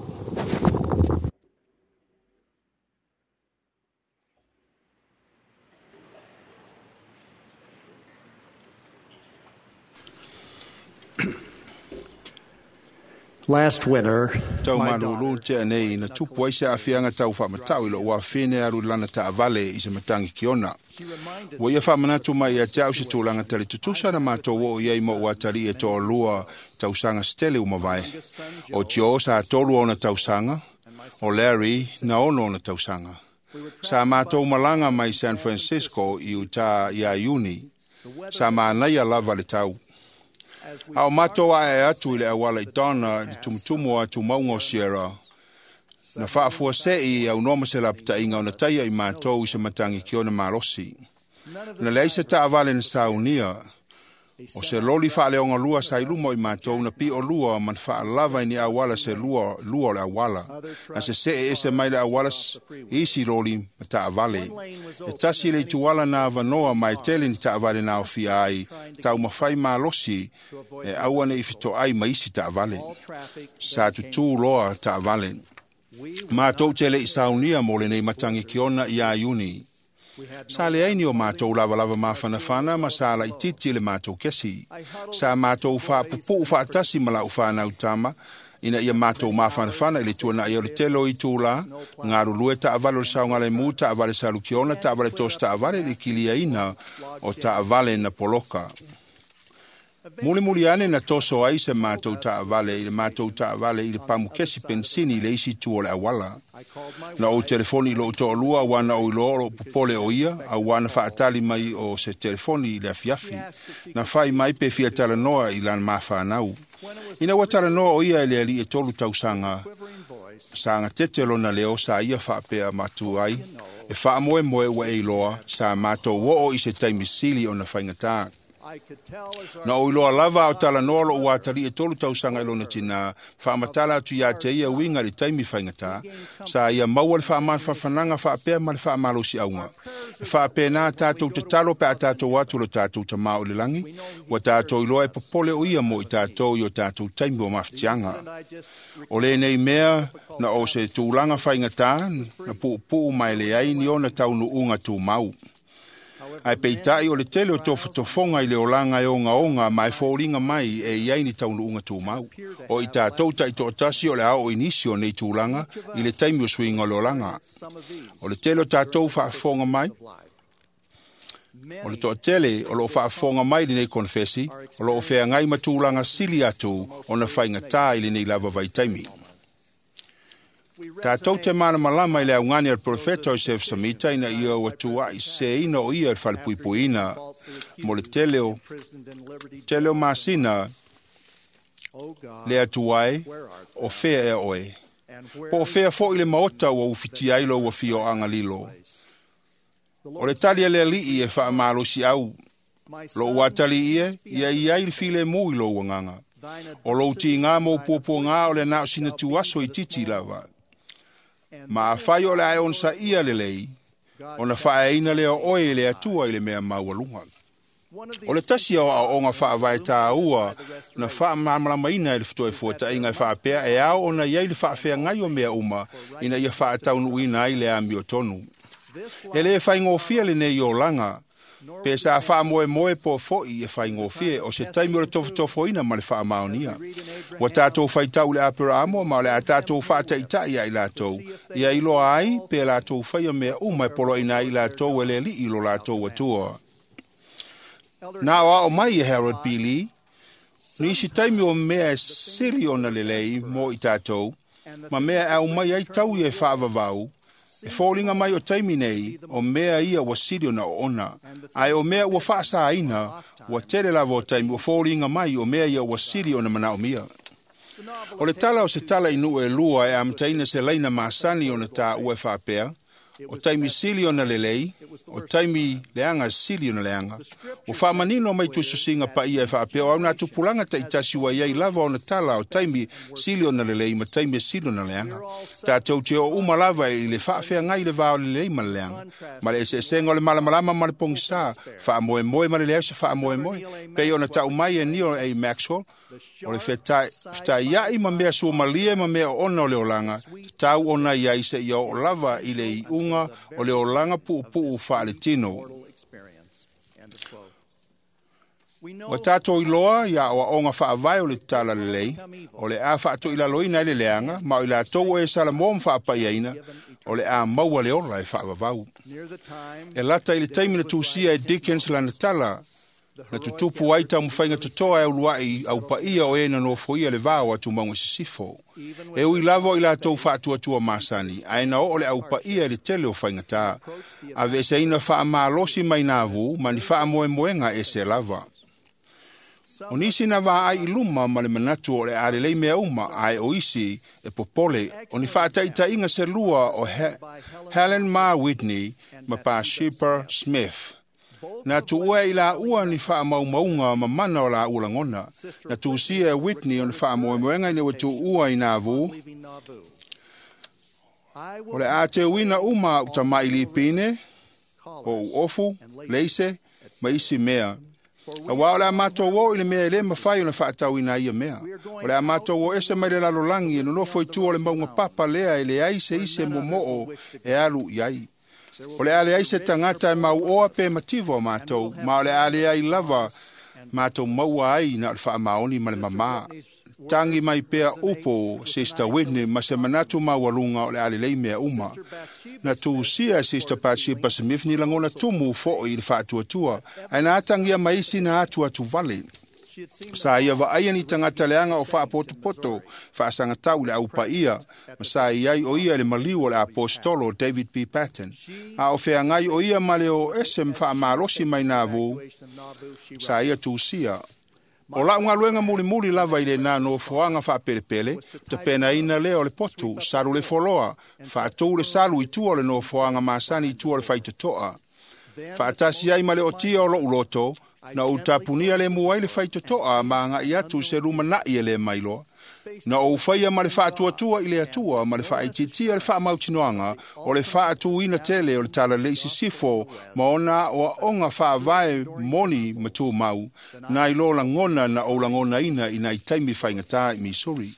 Speaker 12: Last winter,
Speaker 8: Tau
Speaker 12: my
Speaker 8: malulu te anei na tupu ai se aafiaga tau faamatau i lou afine alu i lana taavale i se matagi kiona. Ua ia faamanatu mai ia te au se tulaga talitutusa na matou oo i ai ma ou atalii e toalua tausaga se tele ua mavae. O Tio sa tolu ona tausaga, o Larry na ono ona tausaga. Sa matou malaga mai San Francisco i utā iā Iuni. Sa manaia lava le tau. A o matou ae atu i le auala i Donna i le tumutumu o atu mauga o Sierra, na faafuaseʻi aunoa ma se lapataʻiga ona taia i matou i se matagi kiona malosi. Na leai se taavale na saunia, o se loli faaleogalua sa i luma o i matou na piʻolua ma na faalava i ni auala se lua, lua o le auala. Na seseʻe ese mai le auala isi loli ma taavale. E tasi le ituala na avanoa ma e tele ni taavale na aofia ai, taumafai malosi e aua neʻi fetoʻai ma isi taavale. Sa tutū loa taavale. Matou te leʻi saunia mo lenei matagi kiona iā Iuni. Sa leai ni o matou lavalava mafanafana ma sa laʻitiiti le matou kesi. Sa matou faapupuu faatasi ma laʻu fanau tama, ina ia matou mafanafana i le tuanaʻi o le tele o itulā, galulue taavale o le saogalemu, taavale salukiona, taavale tosi taavale i le kiliaina o taavale na poloka. Mulimuli ane na toso ai se matou taavale i le matou taavale i le pamukesi pensini i le isi itu o le auala. Na ou telefoni i lou toalua auā na ou iloa o loo popole o ia, auā na faatali mai o se telefoni i le afiafi. Na fai mai pe fia talanoa i lana mafanau. Ina ua talanoa o ia i le alii e tolu tausaga, sa gatete lona leo sa ia faapea matu ai, e faamoemoe ua e iloa sa matou oo i se taimi sili ona faigatā. Na ou iloa lava a o talanoa lou atalii e tolu tausaga i lona tinā, faamatala atu iā te ia uiga i le taimi faigatā, sa ia maua le faamafanafanaga faapea ma le faamalosiꞌauga. E faapena tatou tatalo pe a tatou atu lo tatou Tamā o le lagi, ua tatou iloa e popole o ia mo i tatou i o tatou taimi o mafatiaga. O lenei mea na o se tulaga faigatā, na puupuu ma e leai ni ona taunuuga tumau. Ae peitaʻi o le tele o tofotofoga i le olaga e ogaoga ma e foliga mai e iai ni taunuuga tumau. O i tatou taʻitoatasi o le a oo i nisi o nei tulaga i le taimi o suiga o le olaga. O le tele o tatou faafofoga mai, o le toatele o loo faafofoga mai lenei konefesi, o loo feagai ma tulaga sili atu ona faigatā i lenei lava vaitaimi. Tātou te malamalama i le augani a le profeta o Joseph Samita ina ia ua tuai seseina o ia i le falepuipuiina mo le tele o tele o masina le Atua e o fea ea oe. Po o fea fo'i le maota ua ufitia ai lou afioaga lilo. O le tali a le alii e faamalosi au lou atalii e ia i ai le filemu i lou agaga. O lou tiga ma ou puapuaga o le na o sina tuaso itiiti lava. Ma afai o le a e onosaia lelei, ona faaeaina lea o oe e le Atua i le mea maualuga. O le tasi o aoaoga faavae tāua na faamalamalamaina e le Toefuataiga e faapea e ao ona i ai le faafeagai o mea uma ina ia faataunuuina ai le amiotonu. E lē faigofie lenei olaga, pe sa faamoemoe po fo'i e faigofie o se taimi o le tofotofoina ma le faamaonia. Ua tatou faitau i le Aperaamo ma o le a tatou faataita'i ia i latou, ia iloa ai pe latou faia mea uma e poloaina ai i latou e le Alii lo latou Atua. Na o ao mai e Harold B. Lee, nisi taimi o mea e sili ona lelei mo i tatou, ma mea e aumai ai taui e faavavau, e foliga mai o taimi nei o mea ia ua sili ona oona, ae o mea ua faasaina ua tele lava o taimi ua foliga mai o mea ia ua sili ona manaomia. O le tala o se tala i nuu e lua e amataina se laina masani ona tāua e faapea, o taimi sili ona lelei, o taimi leaga sili ona leaga. Ua faamanino mai tuisusiga paia e faapea o au nā tupulaga taitasi ua iai lava ona tala o taimi sili ona lelei ma taimi e sili ona leaga. Tatou te o uma lava i le faafeagai le va o le lelei ma le leaga. Ma le eseesega o le malamalama ma le pogisā, faamoemoe ma le leai o se faamoemoe. Pei ona tau mai e Neil A. Maxwell, o le fetaiai ma mea suamalie ma mea oona o le olaga, tatau ona i ai seia oo lava i le iuga o le olaga puupuu faaletino. Ua tatou iloa ia aoaoga faavae o le tala lelei, o le a faatoilaloina ai le leaga, ma o i latou o e Salamo ma faapaiaina, o le a maua le ola e faavavau. E lata i le taimi na tusia e Dickens lana tala, na tutupu ai taumafaiga totoa e uluai au paia o e na nofoia le va o atumauga sisifo. E ui lava o i latou faatuatua masani, ae na oo le au paia i le tele o faigatā. Aveeseina faamalosi mai navu ma ni faamoemoega ese lava. O nisi na vaai i luma ma le manatu o le a lelei mea uma, ae o isi e popole. O ni faataitaiga se lua o He Helen Ma Whitney ma Bathsheba Smith. Na tuua i la ua ni faamaumauga ma mana o la ua lagona. Na tusia e Whitney o ni faamoemoega ina ua tuua i Nauvoo. O le a teuina uma au tama'i lipine, o uofu, leise, ma isi mea. Auā o le a matou o i le mea e lē mafai ona faatauina ai ia mea. O le a matou o ese mai le lalolagi e nonofo i tua o le mauga papa lea e leai se isi e momo'o e alu i ai. O le a leai se tagata e mauoa pe mativa o matou, ma o le a leai lava matou maua ai na o le faamaoni ma le mamā. Tangi mai pea upo Sister Whitney ma se manatu maualuga o le a lelei mea uma. Na tusia e Sister Bathsheba Smith ni lagona tumu fo'i i le faatuatua, ae na atagia mai isi na atu atu vale. Sa ia vaaia ni tagata leaga o faapotopoto faasagatau i le aupaia, ma sa i ai o ia i le maliu o le apostolo David B. Patten. A o feagai o ia ma le o ese ma faamalosi mai Nauvoo, sa ia tusia. O lau galuega mulimuli lava i lenā nofoaga faapelepele, tapenaina lea o le potu, salu le foloa, faatū le salu i tua o le nofoaga masani i tua o le faitotoa. Faatasi ai ma le otia o lou loto, na ou tapunia le mu ai le faitotoa ma agai atu se lumana'i e lē mailoa. Na ou faia ma le faatuatua i le Atua ma le faaitiitia le faamautinoaga o le faatūina tele o le talalelei sisifo ma ona aoaoga faavae moni ma tumau, nai lo lagona na ou lagonaina i nai taimi faigatā i Missouri.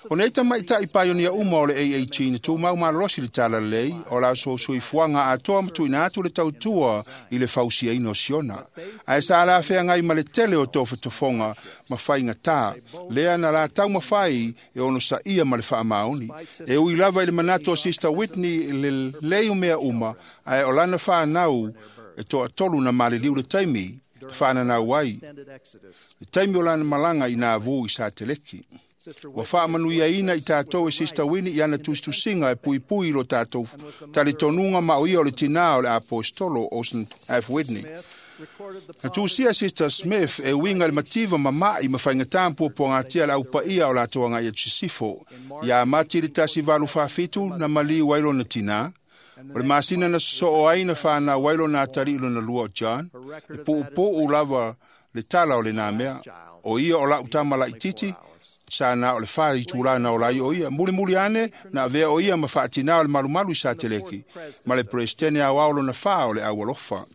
Speaker 8: O nei tamaita'i paionia uma o le A A T na tumau malolosi le talalelei o la soifuaga atoa ma tuuina atu le tautua i le fausiaina o Siona. Ae sa alafeagai ma le tele o tofotofoga ma faigatā, lea na latau mafai e onosaia ma le faamaoni. E ui lava i le manatu o Sister Whitney i le lei o mea uma, ae o lana whanau e toatolu na maliliu le taimi, le whananau ai, le taimi o lana malanga i Nauvoo i Sateleki. Ua faamanuiaina i tatou e Sister Winnie i ana tusitusiga e puipui i lo tatou talitonuga ma o ia o le tinā o le Aposetolo Orson F. Whitney. Na tusia Sister Smith e uiga i le mativa mama'i ma faigatā ma puapuagatia le aupaia o latou agai atu sisifo. Ia Mati le tasi valu faafitu na maliu ai lona tinā. O le masina na sosoo ai na whanau ai lona atalii lona lua o John. E puupuu lava le tala o lenā mea. O ia o lau tama laititi, sa na o le wha i tūlā na o lai o ia. Muli muli ane, na avea o ia ma whaatinā o le malumalu i sa teleki. Ma le presidene au ao lona wha o le au alofa.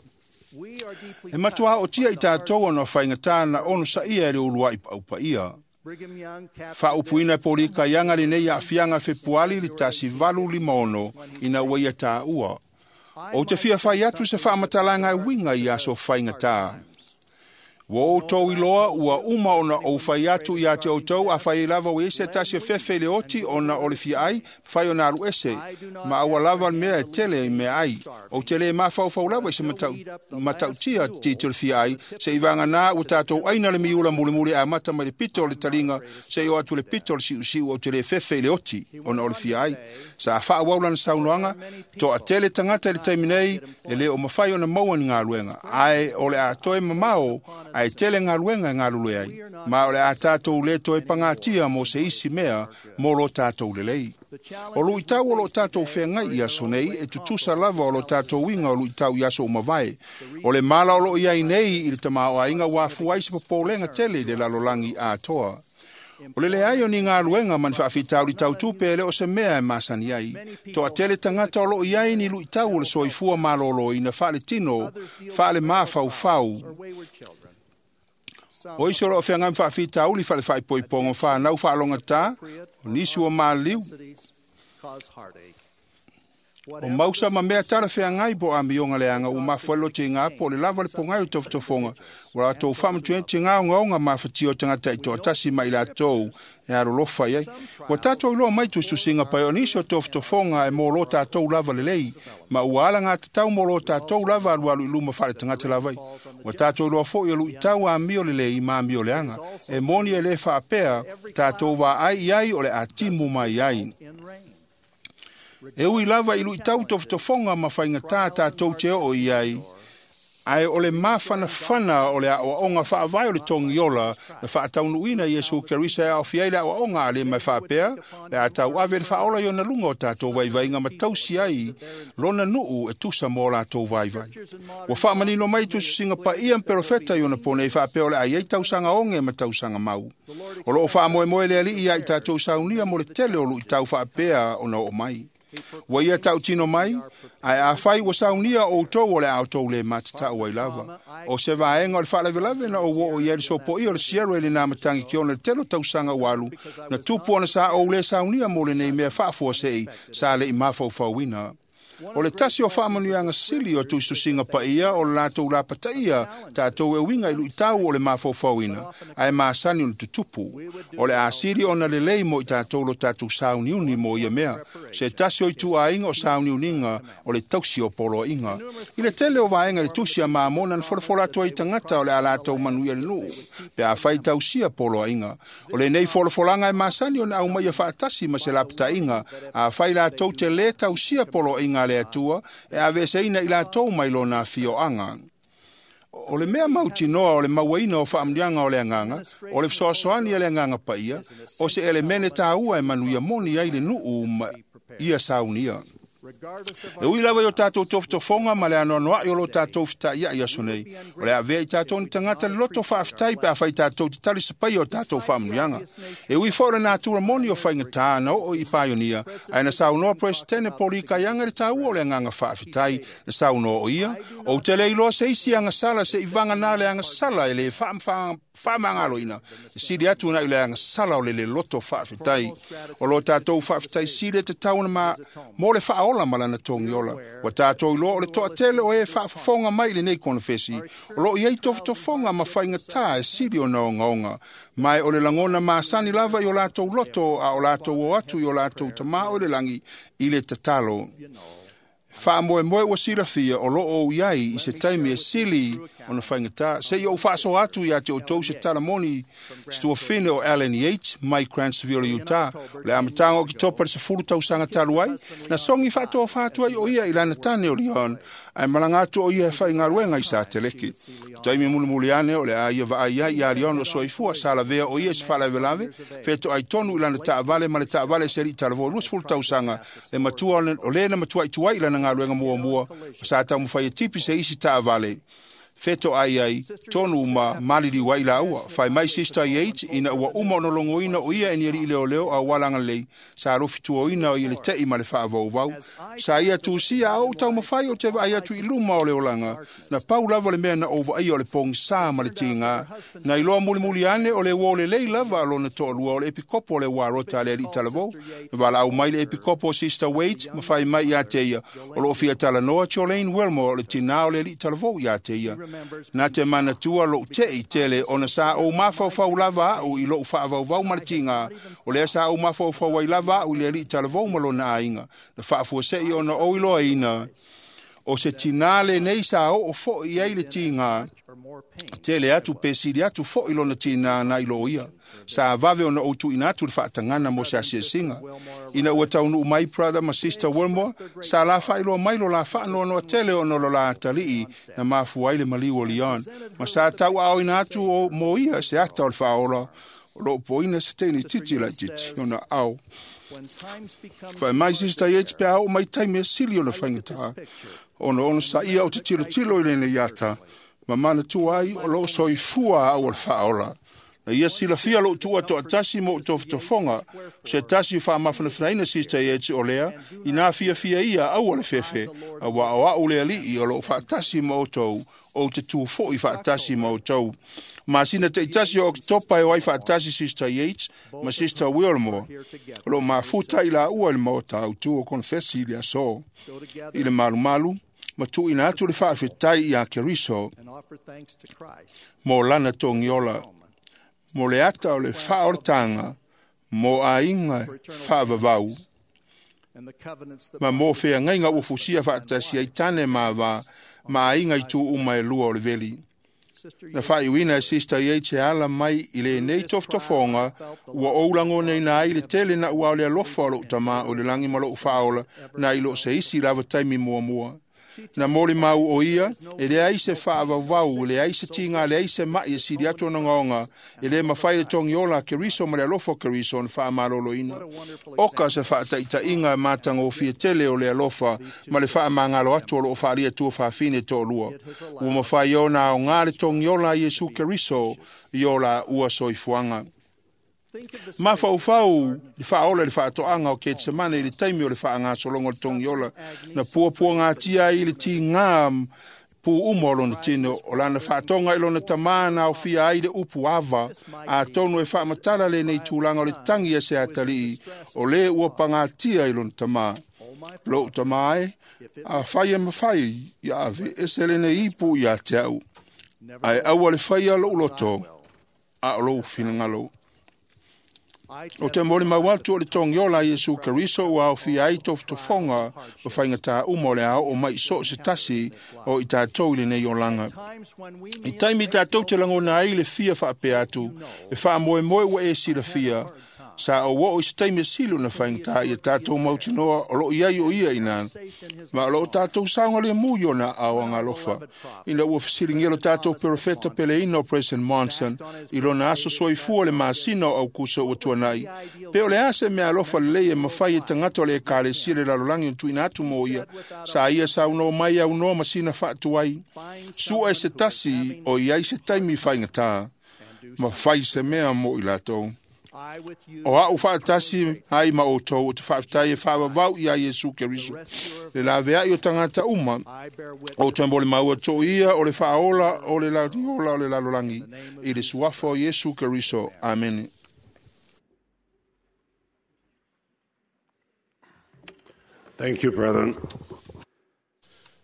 Speaker 8: E matua o tia i tātou ona whaingatā na ono sa ia e le ulua i paupa ia. Whaupuina e pōrika ianga le nei a fianga fepuali le tasi valu lima ono ina ua ia tā ua. O te fia whai atu se whaamatalanga e winga i aso whaingatā. Ua outou iloa ua uma ona ou fai atu ia te outou a fai lava o ese tasi o fefe le oti ona o le fia ai, fai ona alu ese, ma aua lava le mea e tele i mea ai. O te le mafaufau lava i se matau, matautia ti te le fia ai, se i vanga nā ua tātou aina le miula mulimuli a mata mai le pito o le talinga, se i o atu le pito o le siusiu o te le fefe i le oti ona o le fia ai. Sa wha waulana saunoanga, to a tele tangata i le taimi nei, e le o mawhai ona maua ni ngā luenga. Ai o le a toe mamao, ai tele ngā luenga ngā lule ai. Ma o le a tātou le toe pangatia mo se isi mea mo lo tātou lelei. O lui tau o lo tātou whengai i aso nei, e tutusa lava o lo tātou winga o lui tau i aso o mavae. O le mala o lo iai nei i le tamao a inga wafu ai se popolenga tele i le lalolangi a toa. O le leai o ni ngā luenga man whaafitau i tau tupe le o se mea e masani ai. Toa tele tangata o lo iai ni lui tau o le soifua malolo ina whaale tino, whaale mawhau whau. O iso lo whianga mwhaafitau li whale whaipoipongo whanau whaalonga tā, o nisi o māliu. O mausa ma mea tara whiangai po a mionga leanga o mafuelo te ngā po le lava le pongai o tofotofonga. O rātou whamutuen te ngā ongaonga mawhati o tangata i toa tasi mai lātou e arolofa iai. Ua tātou iloa mai tustusinga pai o nisi o tofotofonga e mō lo tātou lava lelei. Ma ua ala ngā tatau mō lo tātou lava alu alu i luma whare tangata lavai. Ua tātou iloa fo i alu i tau a mio lelei ma mio leanga. E moni e le whaapea tātou wā ai iai o le atimu mai ai. E ui lava i lui tau tofotofonga ma whaingatā tātou te o i ai. Ai o le mawhanawhana o le aoaonga whaavai o le tongiola na whaataunuina Iesu Kerisa e aofia i le aoaonga a le mai whaapea le atau ave le whaola i ona lunga o tātou vaivainga ma tausi ai lona nuu e tusa mō lātou vaivai. Ua whaamanino mai tususinga pa ia mperofeta i ona pone i whaapea o le ai ai tausanga onge ma tausanga mau. O loo whaamoemoe le ali ia i tātou saunia mo le tele o lui tau whaapea ona o mai. Ua ia tau tino mai, ai a whai ua saunia o tau o le au tau le matatau ai lava. O se vaenga o le whaalavelave na o o ia le sopo i o le siero e le nā matangi ki ona le telo tausanga walu, na tupu ona sa o le saunia mo le nei mea whaafua sei, sa le i mawhauwhauina. O le tasi o whaamanuianga sili o tustusinga paia o le lātou lapataia tātou e winga i lui tau o le mawhauwhauina, ae maasani o le tutupu. O le asili ona lelei mo i tātou lo tātou sauniuni mo ia mea. Se tasi o i tuainga o sauniuninga o le tausi o poloinga. I le tele o vaenga le tusi a maamona na folafola atua i tangata o le a lātou manuia le nuu, pe a whai tausia poloinga. O le nei folafolanga e maasani o na au mai a whaatasi ma se lapatainga, a whai lātou te le tausia poloinga le atua, e ave ina i lātou mai lona fioanga. O le mea mautinoa o le mauaina o whaamnianga o le anganga, o le whasoasoani le anganga paia, o se elemene tāua e manuia moni ai le nuu ma ia saunia. E ui lava i o tātou tofotofonga ma le anoanoai o lo tātou whitai ia aso nei. O le avea i tātou ni tangata le loto whaaftai pe a whai tātou te tali sapai o tātou whaamanuianga. E ui fo le nātura moni o whaingatā na o i paionia, ai na saunoa presidente Polika ianga le tāua o le anganga whaaftai na saunoa o ia, o te le iloa se isi anga sala se i vanga nā le anga sala e le whaamangalo ina. Sili atu na i le anga sala o le le loto whaaftai. O lo tātou whaaftai sili te tauna ma mo le whaola malana tongiola. Wa tātou iloa o le toa tele o e whaafafonga mai le nei konofesi. O lo iei tofotofonga ma whaingatā e sili o na ongaonga. Mai o le langona maasani lava i o lātou loto a o lātou o atu i o lātou tamā o le langi i le tatalo. Faamoemoe ua silafia o loo ou i ai i se taimi e sili ona faigata seia ou faasoa atu iā te outou se talamoni se tuafine o Alan Yates mai Grantsville, Utah. O le amataga o Oketopa le sefulu tausaga talu ai na sogi faatofa atu ai o ia i lana tane o Leon ae malaga atu o ia e faigaluega i Sateleke. Taimi mulimuli ane o le a ia vaai ai iā Leon o soifua sa lavea o ia i se faalavelave fetoai tonu i lana taavale ma le taavale se alii talavou luasefulu tausaga le matua o lē na matuaʻi tuai i lana galuega muamua sa taumafai e tipi se isi taavale fetoai ai tonu ma maliliu ai laua. Fai mai Sister Yates ina ua uma ona logoina o ia e ni alii leoleo auala agalelei sa alofituoina o ia le te'i ma le faavauvau. Sa ia tusia a ou taumafai o te vaai atu i luma o le olaga na pau lava le mea na ou vaaia o le pogisā ma le tigā. Na iloa mulimuli ane o le uo lelei lava a lona toalua o le epikopo o le uarota a le alii talavou. Na valaau mai le epikopo o Sister Waite ma fai mai iā te ia o loo fia talanoa Jolene Wilmore o le tinā o le alii talavou iā te ia. Na te manatua lou te'i tele ona sa ou mafaufau lava a'u i lo'u faavauvau ma le tigā o lea sa ou mafaufau ai lava a'u i le alii talavou ma lona aiga. Na faafuase'i ona ou iloaina o se tinā lenei sa oo fo'i ai le tigā tele atu pe sili atu fo'i lona tinā na i lō ia. Sa vave ona ou tuuina atu le faatagana mo se asiasiga. Ina ua taunuu mai Brother ma Sister Wilmore sa la faailoa mai lo la faanoanoa tele ona o lo la atalii na mafua ai le maliu o Leon ma sa tauaaoina atu o mo ia se ata o le faaola o loo poina se teine titi laititi ona ao. Fai mai Sister Yates pe a oo mai taimi e sili ona faigata ona ona saia o te tilotilo i lenei ata ma manatua ai o loo soifua au o le faaola. Na ia silafia lou tuua toatasi mo tofotofoga se tasi faamafanafanaina Sister Yates o lea inā fiafia ia aua le fefe auā o a'u le alii o loo faatasi ma outou ou te tu fo'i faatasi ma outou. Masina taitasi o Oketopa e o ai faatasi Sister Yates ma Sister Wilmore o loo mafuta i laua i le maota autū o konefesi i le aso i le malumalu ma tuuina atu le faafetai iā Keriso mo lana togiola mo le ata o le faaolataga mo aiga faavavau ma mo feagaiga ua fusia faatasi ai tane ma avā ma aiga i tu uma e lua o le veli. Na faaiuina e Sister Yates e ala mai i lenei tofotofoga ua ou lagonaina ai le tele na ua o le alofa o lou tamā o le lagi ma lou faaola na i loo se isi lava taimi muamua. Na molimau o ia e leai se faavauvau, e leai se tigā, leai se ma'i e sili atu ona ogaoga e lē mafai le togiola a Keriso ma le alofa o Keriso ona faamaloloina. Oka se faataʻitaʻiga e matagofie tele o le alofa ma le faamagalo atu o loo faaalia tua fafine toalua. Ua mafai ona aogā le togiola a Iesu Keriso i o laua soifuaga. Mafaufau le faaola i le faatoaga o Ketsemane i le taimi o le faagasologa o le togiola na puapuagatia ai i le tigā pu uma o lona tino o lana faatoga i lona tamā na aofia ai le upu ava atonu e faamatala lenei tulaga o le tagi a se atalii o lē ua pagatia i lona tamā. Lou tamā e, afai e mafai ia ave ese lenei ipu iā te a'u ae aua le faia lo'u loto a o lou finagalo. O te molimau atu o le togiola a Iesu Keriso ua aofia ai tofotofoga ma faigatā uma o le a oo mai so o se tasi o i tatou i lenei olaga. I taimi tatou te lagona ai le fia faapea atu e faamoemoe ua e silafia sa ou oo i se taimi e sili ona faigata ia tatou mautinoa o loo i ai o ia inā ma o loo tatou saogalemu i ona aao agalofa. Ina ua fesiligia lo tatou perofeta peleina o President Monson i lona aso soifua le masina o Aukuso ua tuanai pe o le a se mea alofa lelei e mafai e tagata o le ekalesia le lalolagi ona tuuina atu mo ia sa ia saunoa mai aunoa ma sina faatuai sua e se tasi o i ai se taimi faigatā ma fai se mea mo i latou. O a'u faatasi ai ma outou o te faafetai e faavavau iā Iesu Keriso le lavea'i o tagata uma o te molimau atu ia o le faaola o le lagiola o le lalolagi i le suafa o Iesu Keriso. Amene.
Speaker 3: Thank you, brethren.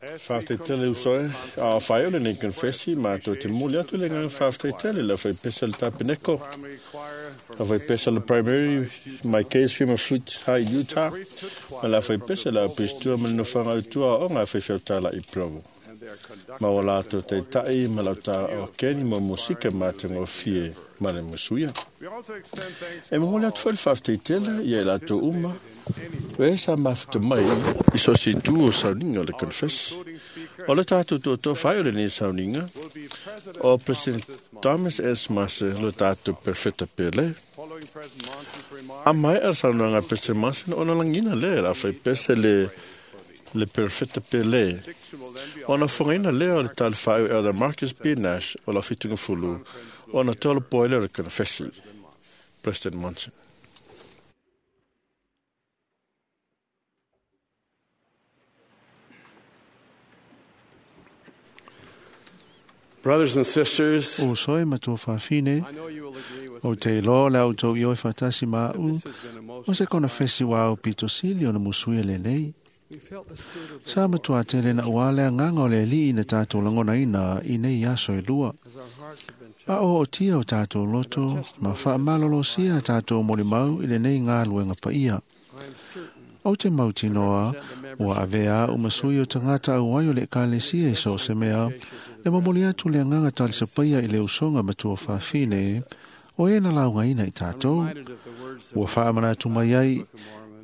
Speaker 2: Whafeitele usoe, a whai ole nei konfesi, ma tō te muli atu le ngā whafeitele la whai pesa le tapeneko. La whai pesa le primary, my case firma fruit hai Utah. Ma la whai pesa la pistua ma no whanga utua o ngā whai whiautala i Provo. Ma o lātou te tai, ma lau tā o keni mo musika mā te ngō ma le musuia. E mo atu whai whafeitele, ia e lātou uma. E sa mawhita mai, i so si tu o sauninga le confess. O le tātou tō tō whai o le nei sauninga, o President Thomas S. Mase le tātou perfecta pele. A mai a saunanga President Mase ona langina le, la whai pese le, le perfecta pele. Ona whangaina le o le tāle whai o Elder Marcus B. Nash o la whitunga fulu, ona tōla poele o le confessi. President Monson.
Speaker 4: Brothers and sisters,
Speaker 9: o soe matua whawhine, o te loa le au tau ioi whatasi mā u, o se kona fesi wā au pito sili o na musui le nei. Sa matua tele na uale a nganga o le li ina tātou langona ina i nei aso e lua. A o o tia o tātou loto, ma wha malolo sia tātou molimau i le nei ngā luenga paia. O te mautinoa, ua avea o masui o tangata au ai o le kalesia i so se mea, e momoli atu le anganga talisapaia i le usonga matua whawhine, o e na launga ina i tātou. Ua whaamana atu mai ai,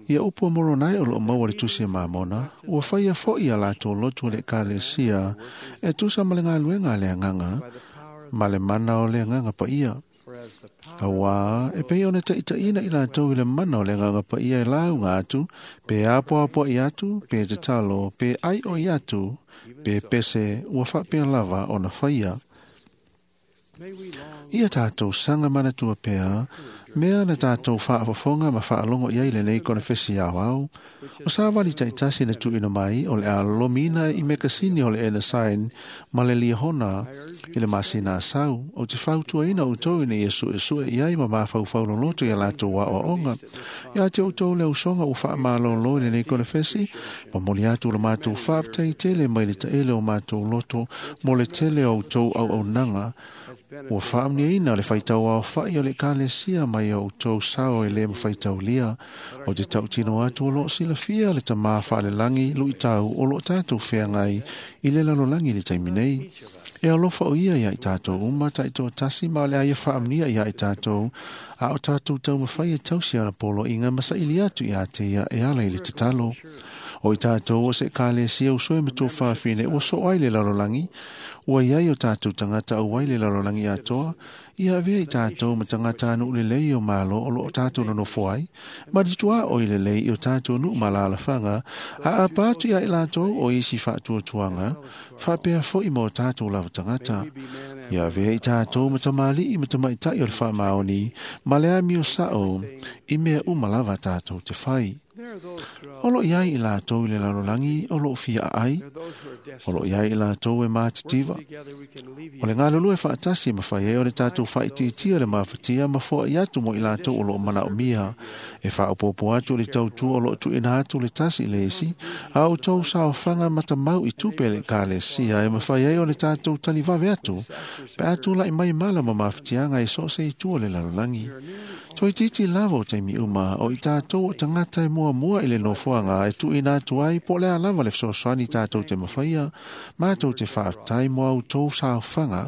Speaker 9: ia upu moronai o lo maua le tusi e mamona, ua whaia fo ia lātou lotu le kalesia, e tusa ma le ngā le anganga, ma le mana o le anganga pa ia. Awa, e pei ona taitaina i lātou i le mana o le nganga pa ia e launga atu, pe apo apo i atu, pe te talo, pe ai o i atu, pe pese ua whapea lava o na whaia. Ia tātou sanga manatua pea, mea na tātou whaafofonga ma whaalongo ia i le nei konefesi au au, o sa wali taitasi na tuina mai o le a lomina i mekasini o le ena sain ma le liahona i le masina asau, o te whautuaina o tau ina ia sue sue i ai ma mawhauwhau loloto ia lātou wa o onga. Ia te o tau le usonga o whaamalolo i le nei konefesi, ma moli atu le mātou whaaftei tele mai le taele o mātou loto mo le tele o tau au au nanga, ua whaamnia ina le whaitau au whai o le kalesia mai o tau sao e le mwhaitaulia o te tautino atu o lo silafia le tamā whaalelangi lui tau o lo tātou wheangai i le lalolangi le taimi nei. E alofa o ia ia i tātou uma taito tasi ma le aia whaamnia ia i tātou a o tātou tau mawhai e tausi ana polo inga masaili atu i a te ia e ala i le tatalo. O i tātou o se kalesia usoe matua whawhine ua so ai le lalolangi, ua iai o tātou tangata au ai le lalolangi atoa, ia avea i tātou ma tangata anu le lei o malo o lo o tātou nonofo ai, ma ritua o i le lei o tātou nu malalawhanga, a apatu ia i lātou o isi whaatuatuanga, whapea fo i mō tātou lava tangata. Ia avea i tātou ma tamali i matamaitai o le whaamaoni, ma le ami o sao, i mea umalava tātou te whai. O lo iai i lātou i le lalolangi o lo fia ai, o lo iai i lātou e mātitiva. O le ngalulu e whaatasi ma whai e o le tātou whaititia le mafatia ma foa i atu mo i lātou o lo mana o mia. E whaopopo atu le tautua o lo tu ina atu le tasi le isi, a o tau sao whanga matamau i tupe le kalesia e mawhai e o le tātou talivawe atu, pe atu lai mai mala ma mafatianga e so se i tua le lalolangi. Toi titi lava o taimi uma o i tātou o tangata e mua mua i le nofoanga e tuina atu ai po lea lava le fesoasoani tātou te mawhaia, mātou te whaaftai mo au tō saofanga,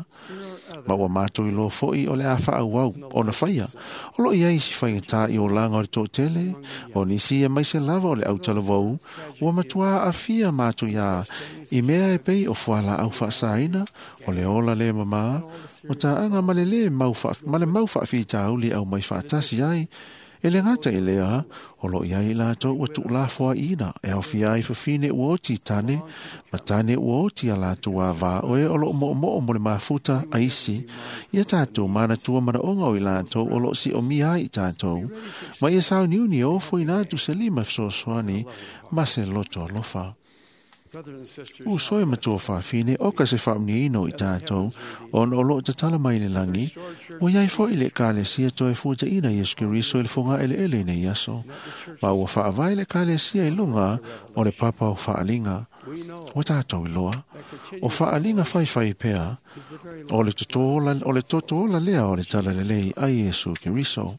Speaker 9: ma ua mātou i loa fo'i o le a whaau au o na whaia. O lo iai si whaingatā i o langa o le tōtele, o nisi e maise lava o le autalavou, ua matua awhia mātou ia i mea e pei o fuala au whaasaina, o le ola le mamā, o tāanga male le mau wha, male mau whaawhitauli au mai whaatasi ai, e le ngata i lea, o lo iai lātou ua tuulafoa ina, e au fia ai whawhine ua oti tane, ma tane ua oti a lātou a vā oe o lo mo mo mo le mafuta a isi, ia tātou mana tua mana onga o i lātou o lo si o mia ai tātou, ma ia sao niuni o fo ina atu se lima fesoasoani, ma se loto alofa. U soe matua whawhine o ka se whaamniino i tātou, ona o lo tatala mai le langi, o iai fo i le kalesia toe futa ina Yesu Keriso i le fonga ele ele nei aso, ma ua whaavai le kalesia i lunga o le papa o whaalinga. Ua tātou iloa, o whaaliga whaiwhai pea, o le toto o le toto ola lea o le talalelei a Iesu Keriso.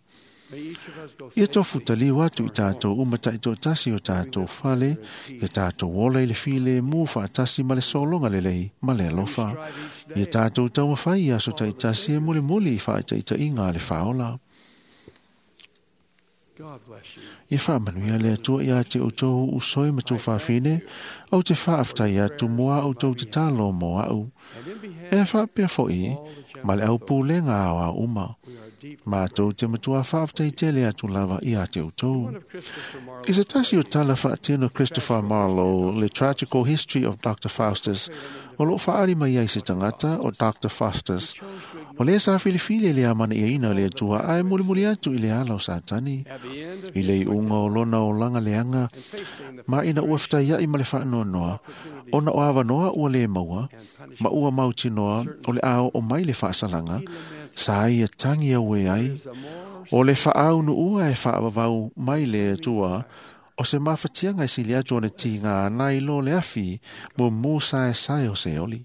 Speaker 9: Ia tofu taliu atu i tātou uma taitoatasi o tātou fale, ia tātou ola i le file mu whaatasi ma le solonga lelei ma le alofa. Ia tātou taumawhai i aso taitasi e muli muli i whaitaita inga le whaola. Ia whaamanuia le Atua ia te outou usoi ma tou faafine, au te faafetai atu mo a outou tatalo mo au. E faapea fo'i, ma le aupulega aoao uma. Mātou te matua faafetai tele atu lava ia te outou. I se tasi o tala whaatino Christopher Marlowe, le Tragical History of Doctor Faustus, o loo whaari mai ai se tangata o Doctor Faustus. O le sa filifili le amana ia ina le Atua ae mulimuli atu i le ala o Satani. I le iuga o lona o langa leanga, ma ina ua whitai ma le whaanoanoa, ona o awanoa ua le maua, ma ua mautinoa o le ao o mai le whaasalanga, sa ia tangi au e ai, o le whaau ua e whaawawau mai le Atua, o se mawhatianga e sili atu o ne tinga anai lo le afi, mo mō sae sae o se oli.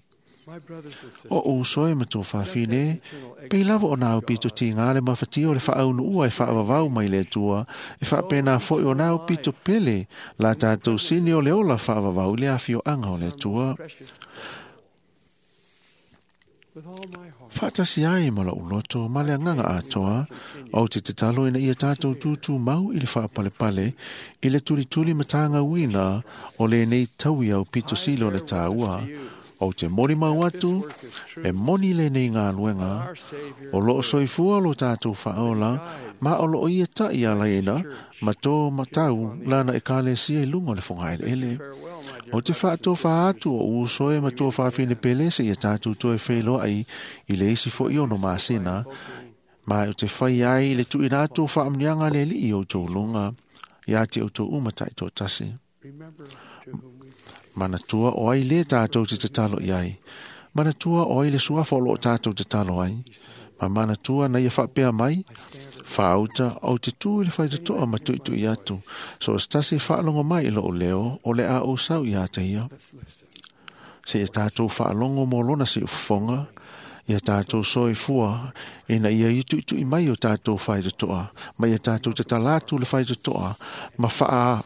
Speaker 9: O usoe ma tō whawhine, pei lava o nā upito tinga le mawhatia o le whaau ua e whaawawau mai le Atua, e whaapena foi o nā upito pele, la tātou sini o le ola whaawawau le afi o anga o le Atua. Whaatasi ai ma la uloto, ma le anganga atoa, au te te talo ina ia tātou tūtū mau i le whaapalepale, i le turituri matanga uina o le nei taui au pito silo le tāua. O te moni mau atu, e moni le nei ngā luenga, o loo soifua lo tātou whaola, ma o loo ia tai a laina, ma tō matau lana e kālesia i lunga le whangaele ele. O te whaato whaatu o usoe ma tō whaafine pele se ia tātou toe whelo ai i le isi fo iono māsina, ma o te whai ai le tuina atu whaamnianga le li i o tō lunga, ia te o tō umatai tō tasi. Manatua o ai le tātou te tatalo i ai. Manatua o ai le suafa o loo tātou te talo ai. Ma manatua na ia whaapea mai, whaauta au te tū i le whaitatoa ma tuitui atu. So stasi whaalongo mai i loo leo o le a o sau i ata ia. Se ia tātou whaalongo mō lona si ufonga, ia tātou soifua, ina ia i tuitui mai o tātou whaitatoa, ma ia tātou te talatu le whaitatoa, ma whaa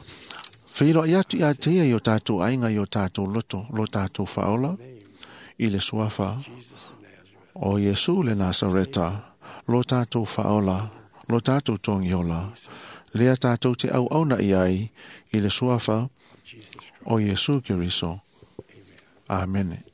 Speaker 9: Whiro i atu i a te i o tātou ainga i o tātou loto, lo tātou whaola, i le suafa o Iesu le Nazareta, lo tātou whaola, lo tātou tongiola, lea tātou te au auna i ai, i le suafa o Iesu Keriso. Amene.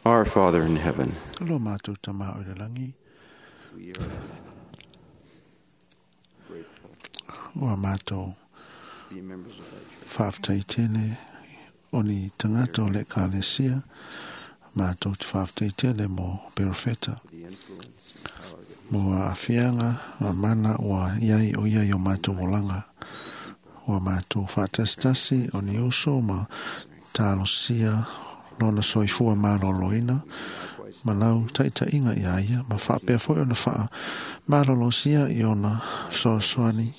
Speaker 4: Our Father in heaven,
Speaker 9: Lo mātou tamā o le langi.
Speaker 4: we are grateful
Speaker 9: Ua mātou
Speaker 4: to be members of thy church.
Speaker 9: whaaftai tele o ni tangata o le kalesia. Mātou te whaaftai tele mo perofeta.
Speaker 4: The influence and power that
Speaker 9: Mo a afianga a mana ua iai o iai o mātou olanga. Ua mātou whaatasitasi o ni uso ma talosia lona soifua maloloina. Ma lau taitainga ia ia ma whaapea foi ona whaa malolosia i ona soasoani.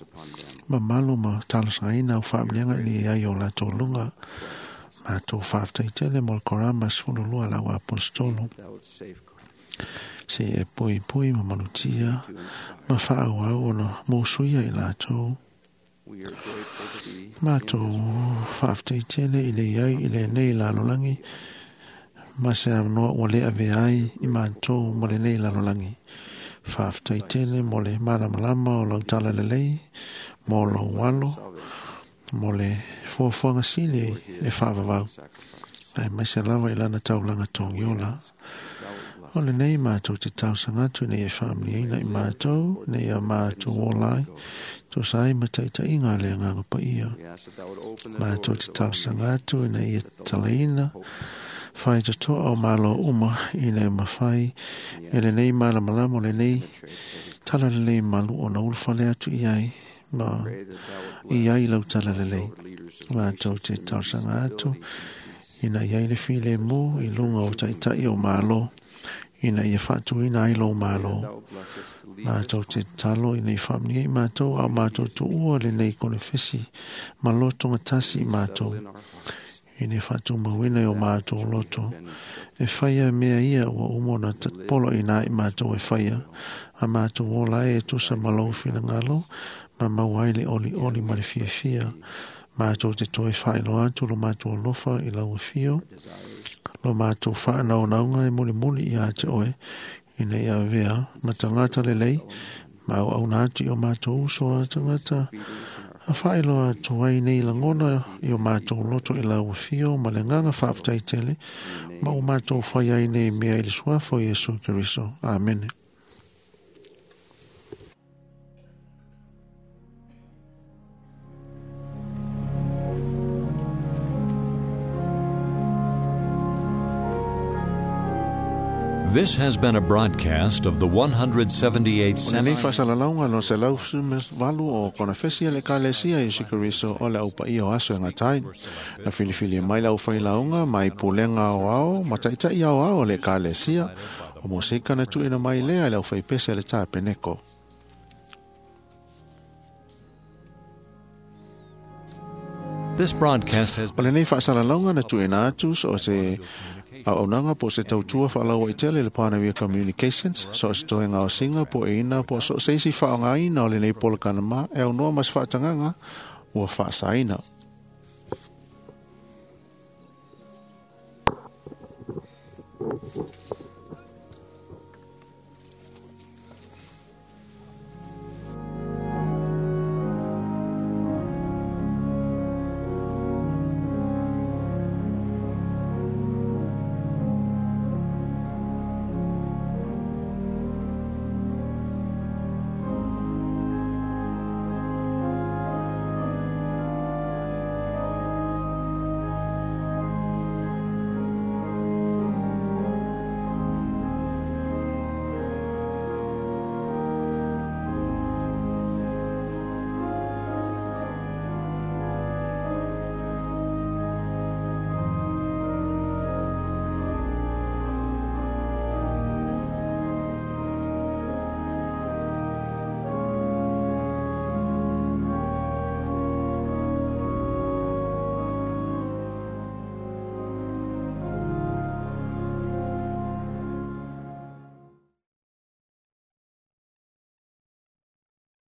Speaker 9: Ma malu ma talosaina o whaamlianga i iai o latou lunga. Mātou whaaftai tele mo le korama sefululua lau apostolo.
Speaker 4: thou would safeguard,
Speaker 9: Se e pui pui ma malutia ma whaau ona mōsuia i lātou.
Speaker 4: We are grateful to be
Speaker 9: Mātou whaaftai tele i le iai i le nei lalolangi. Ma se anoa ua le ave ai i mātou mo le nei lalolangi. Whaaftai tele mo le malamalama o lau tala lelei, mo lou alo, mo le fuafuaga sili e whaavavau. Ai mai se lava i lana taulanga tongiola. O le nei mātou te tausaga atu nei e whaamliaina i mātou, nei a mātou o lai, tō sa ai mataitaiga le anganga paia.
Speaker 4: We ask that thou would open the
Speaker 9: Mātou
Speaker 4: doors
Speaker 9: te
Speaker 4: of all
Speaker 9: tausaga atu nei e talaina, whai totoa o malo uma i le mawhai, e le nei malamalama o le nei tala lelei malu o na ulufale atu i ai, ma i ai lau tala lelei. Mātou te tausaga atu, ina iai le file mō i lunga o taitai o malo, ina ia whaatuina ai lo malo. Mātou te talo ina i whaamnia i mātou, au mātou tuua le nei konefesi, ma lotonga tasi i mātou. Ina i whaatumauina i o mātou loto. E whaia mea ia ua umona polo ina i mātou e whaia. A mātou ola e tusa malo whinangalo, ma mau ai le oli oli ma le fia fia. Mātou te toe whailo atu lo mātou alofa i lau whio. Lo mātou whaanau naunga e muli muli i a te oe. Ina ia vea, ma tangata lelei, ma au auna atu i o mātou uso a tangata. A whailo atu ai nei langona i o mātou loto i lau whio, ma le nganga whaaftai tele, ma o mātou whai ai nei mea i le suafo Iesu Keriso. Amene.
Speaker 1: This has been a broadcast of the one hundred seventy-eighth
Speaker 9: O lenei faasalalauga lo selau valu o konefesi a le ekalesia Iesu Keriso o le aupaia o aso e gatai. Na filifili mai le aufailauga mai pulega aoao ma taʻitaʻi aoao o le ekalesia o mosika na tuuina mai lea i le aufaipese a le tapeneko.
Speaker 1: This broadcast has
Speaker 9: O lenei faasalalauga na tuuina atu so o se auaunaga po o se tautua faalaua i tele le Pioneer Communications, so o se toega o singa po e ina po o so o se isi faaaogaina o lenei polokalama e aunoa ma se faatagaga ua faasaina.
Speaker 1: Thank you.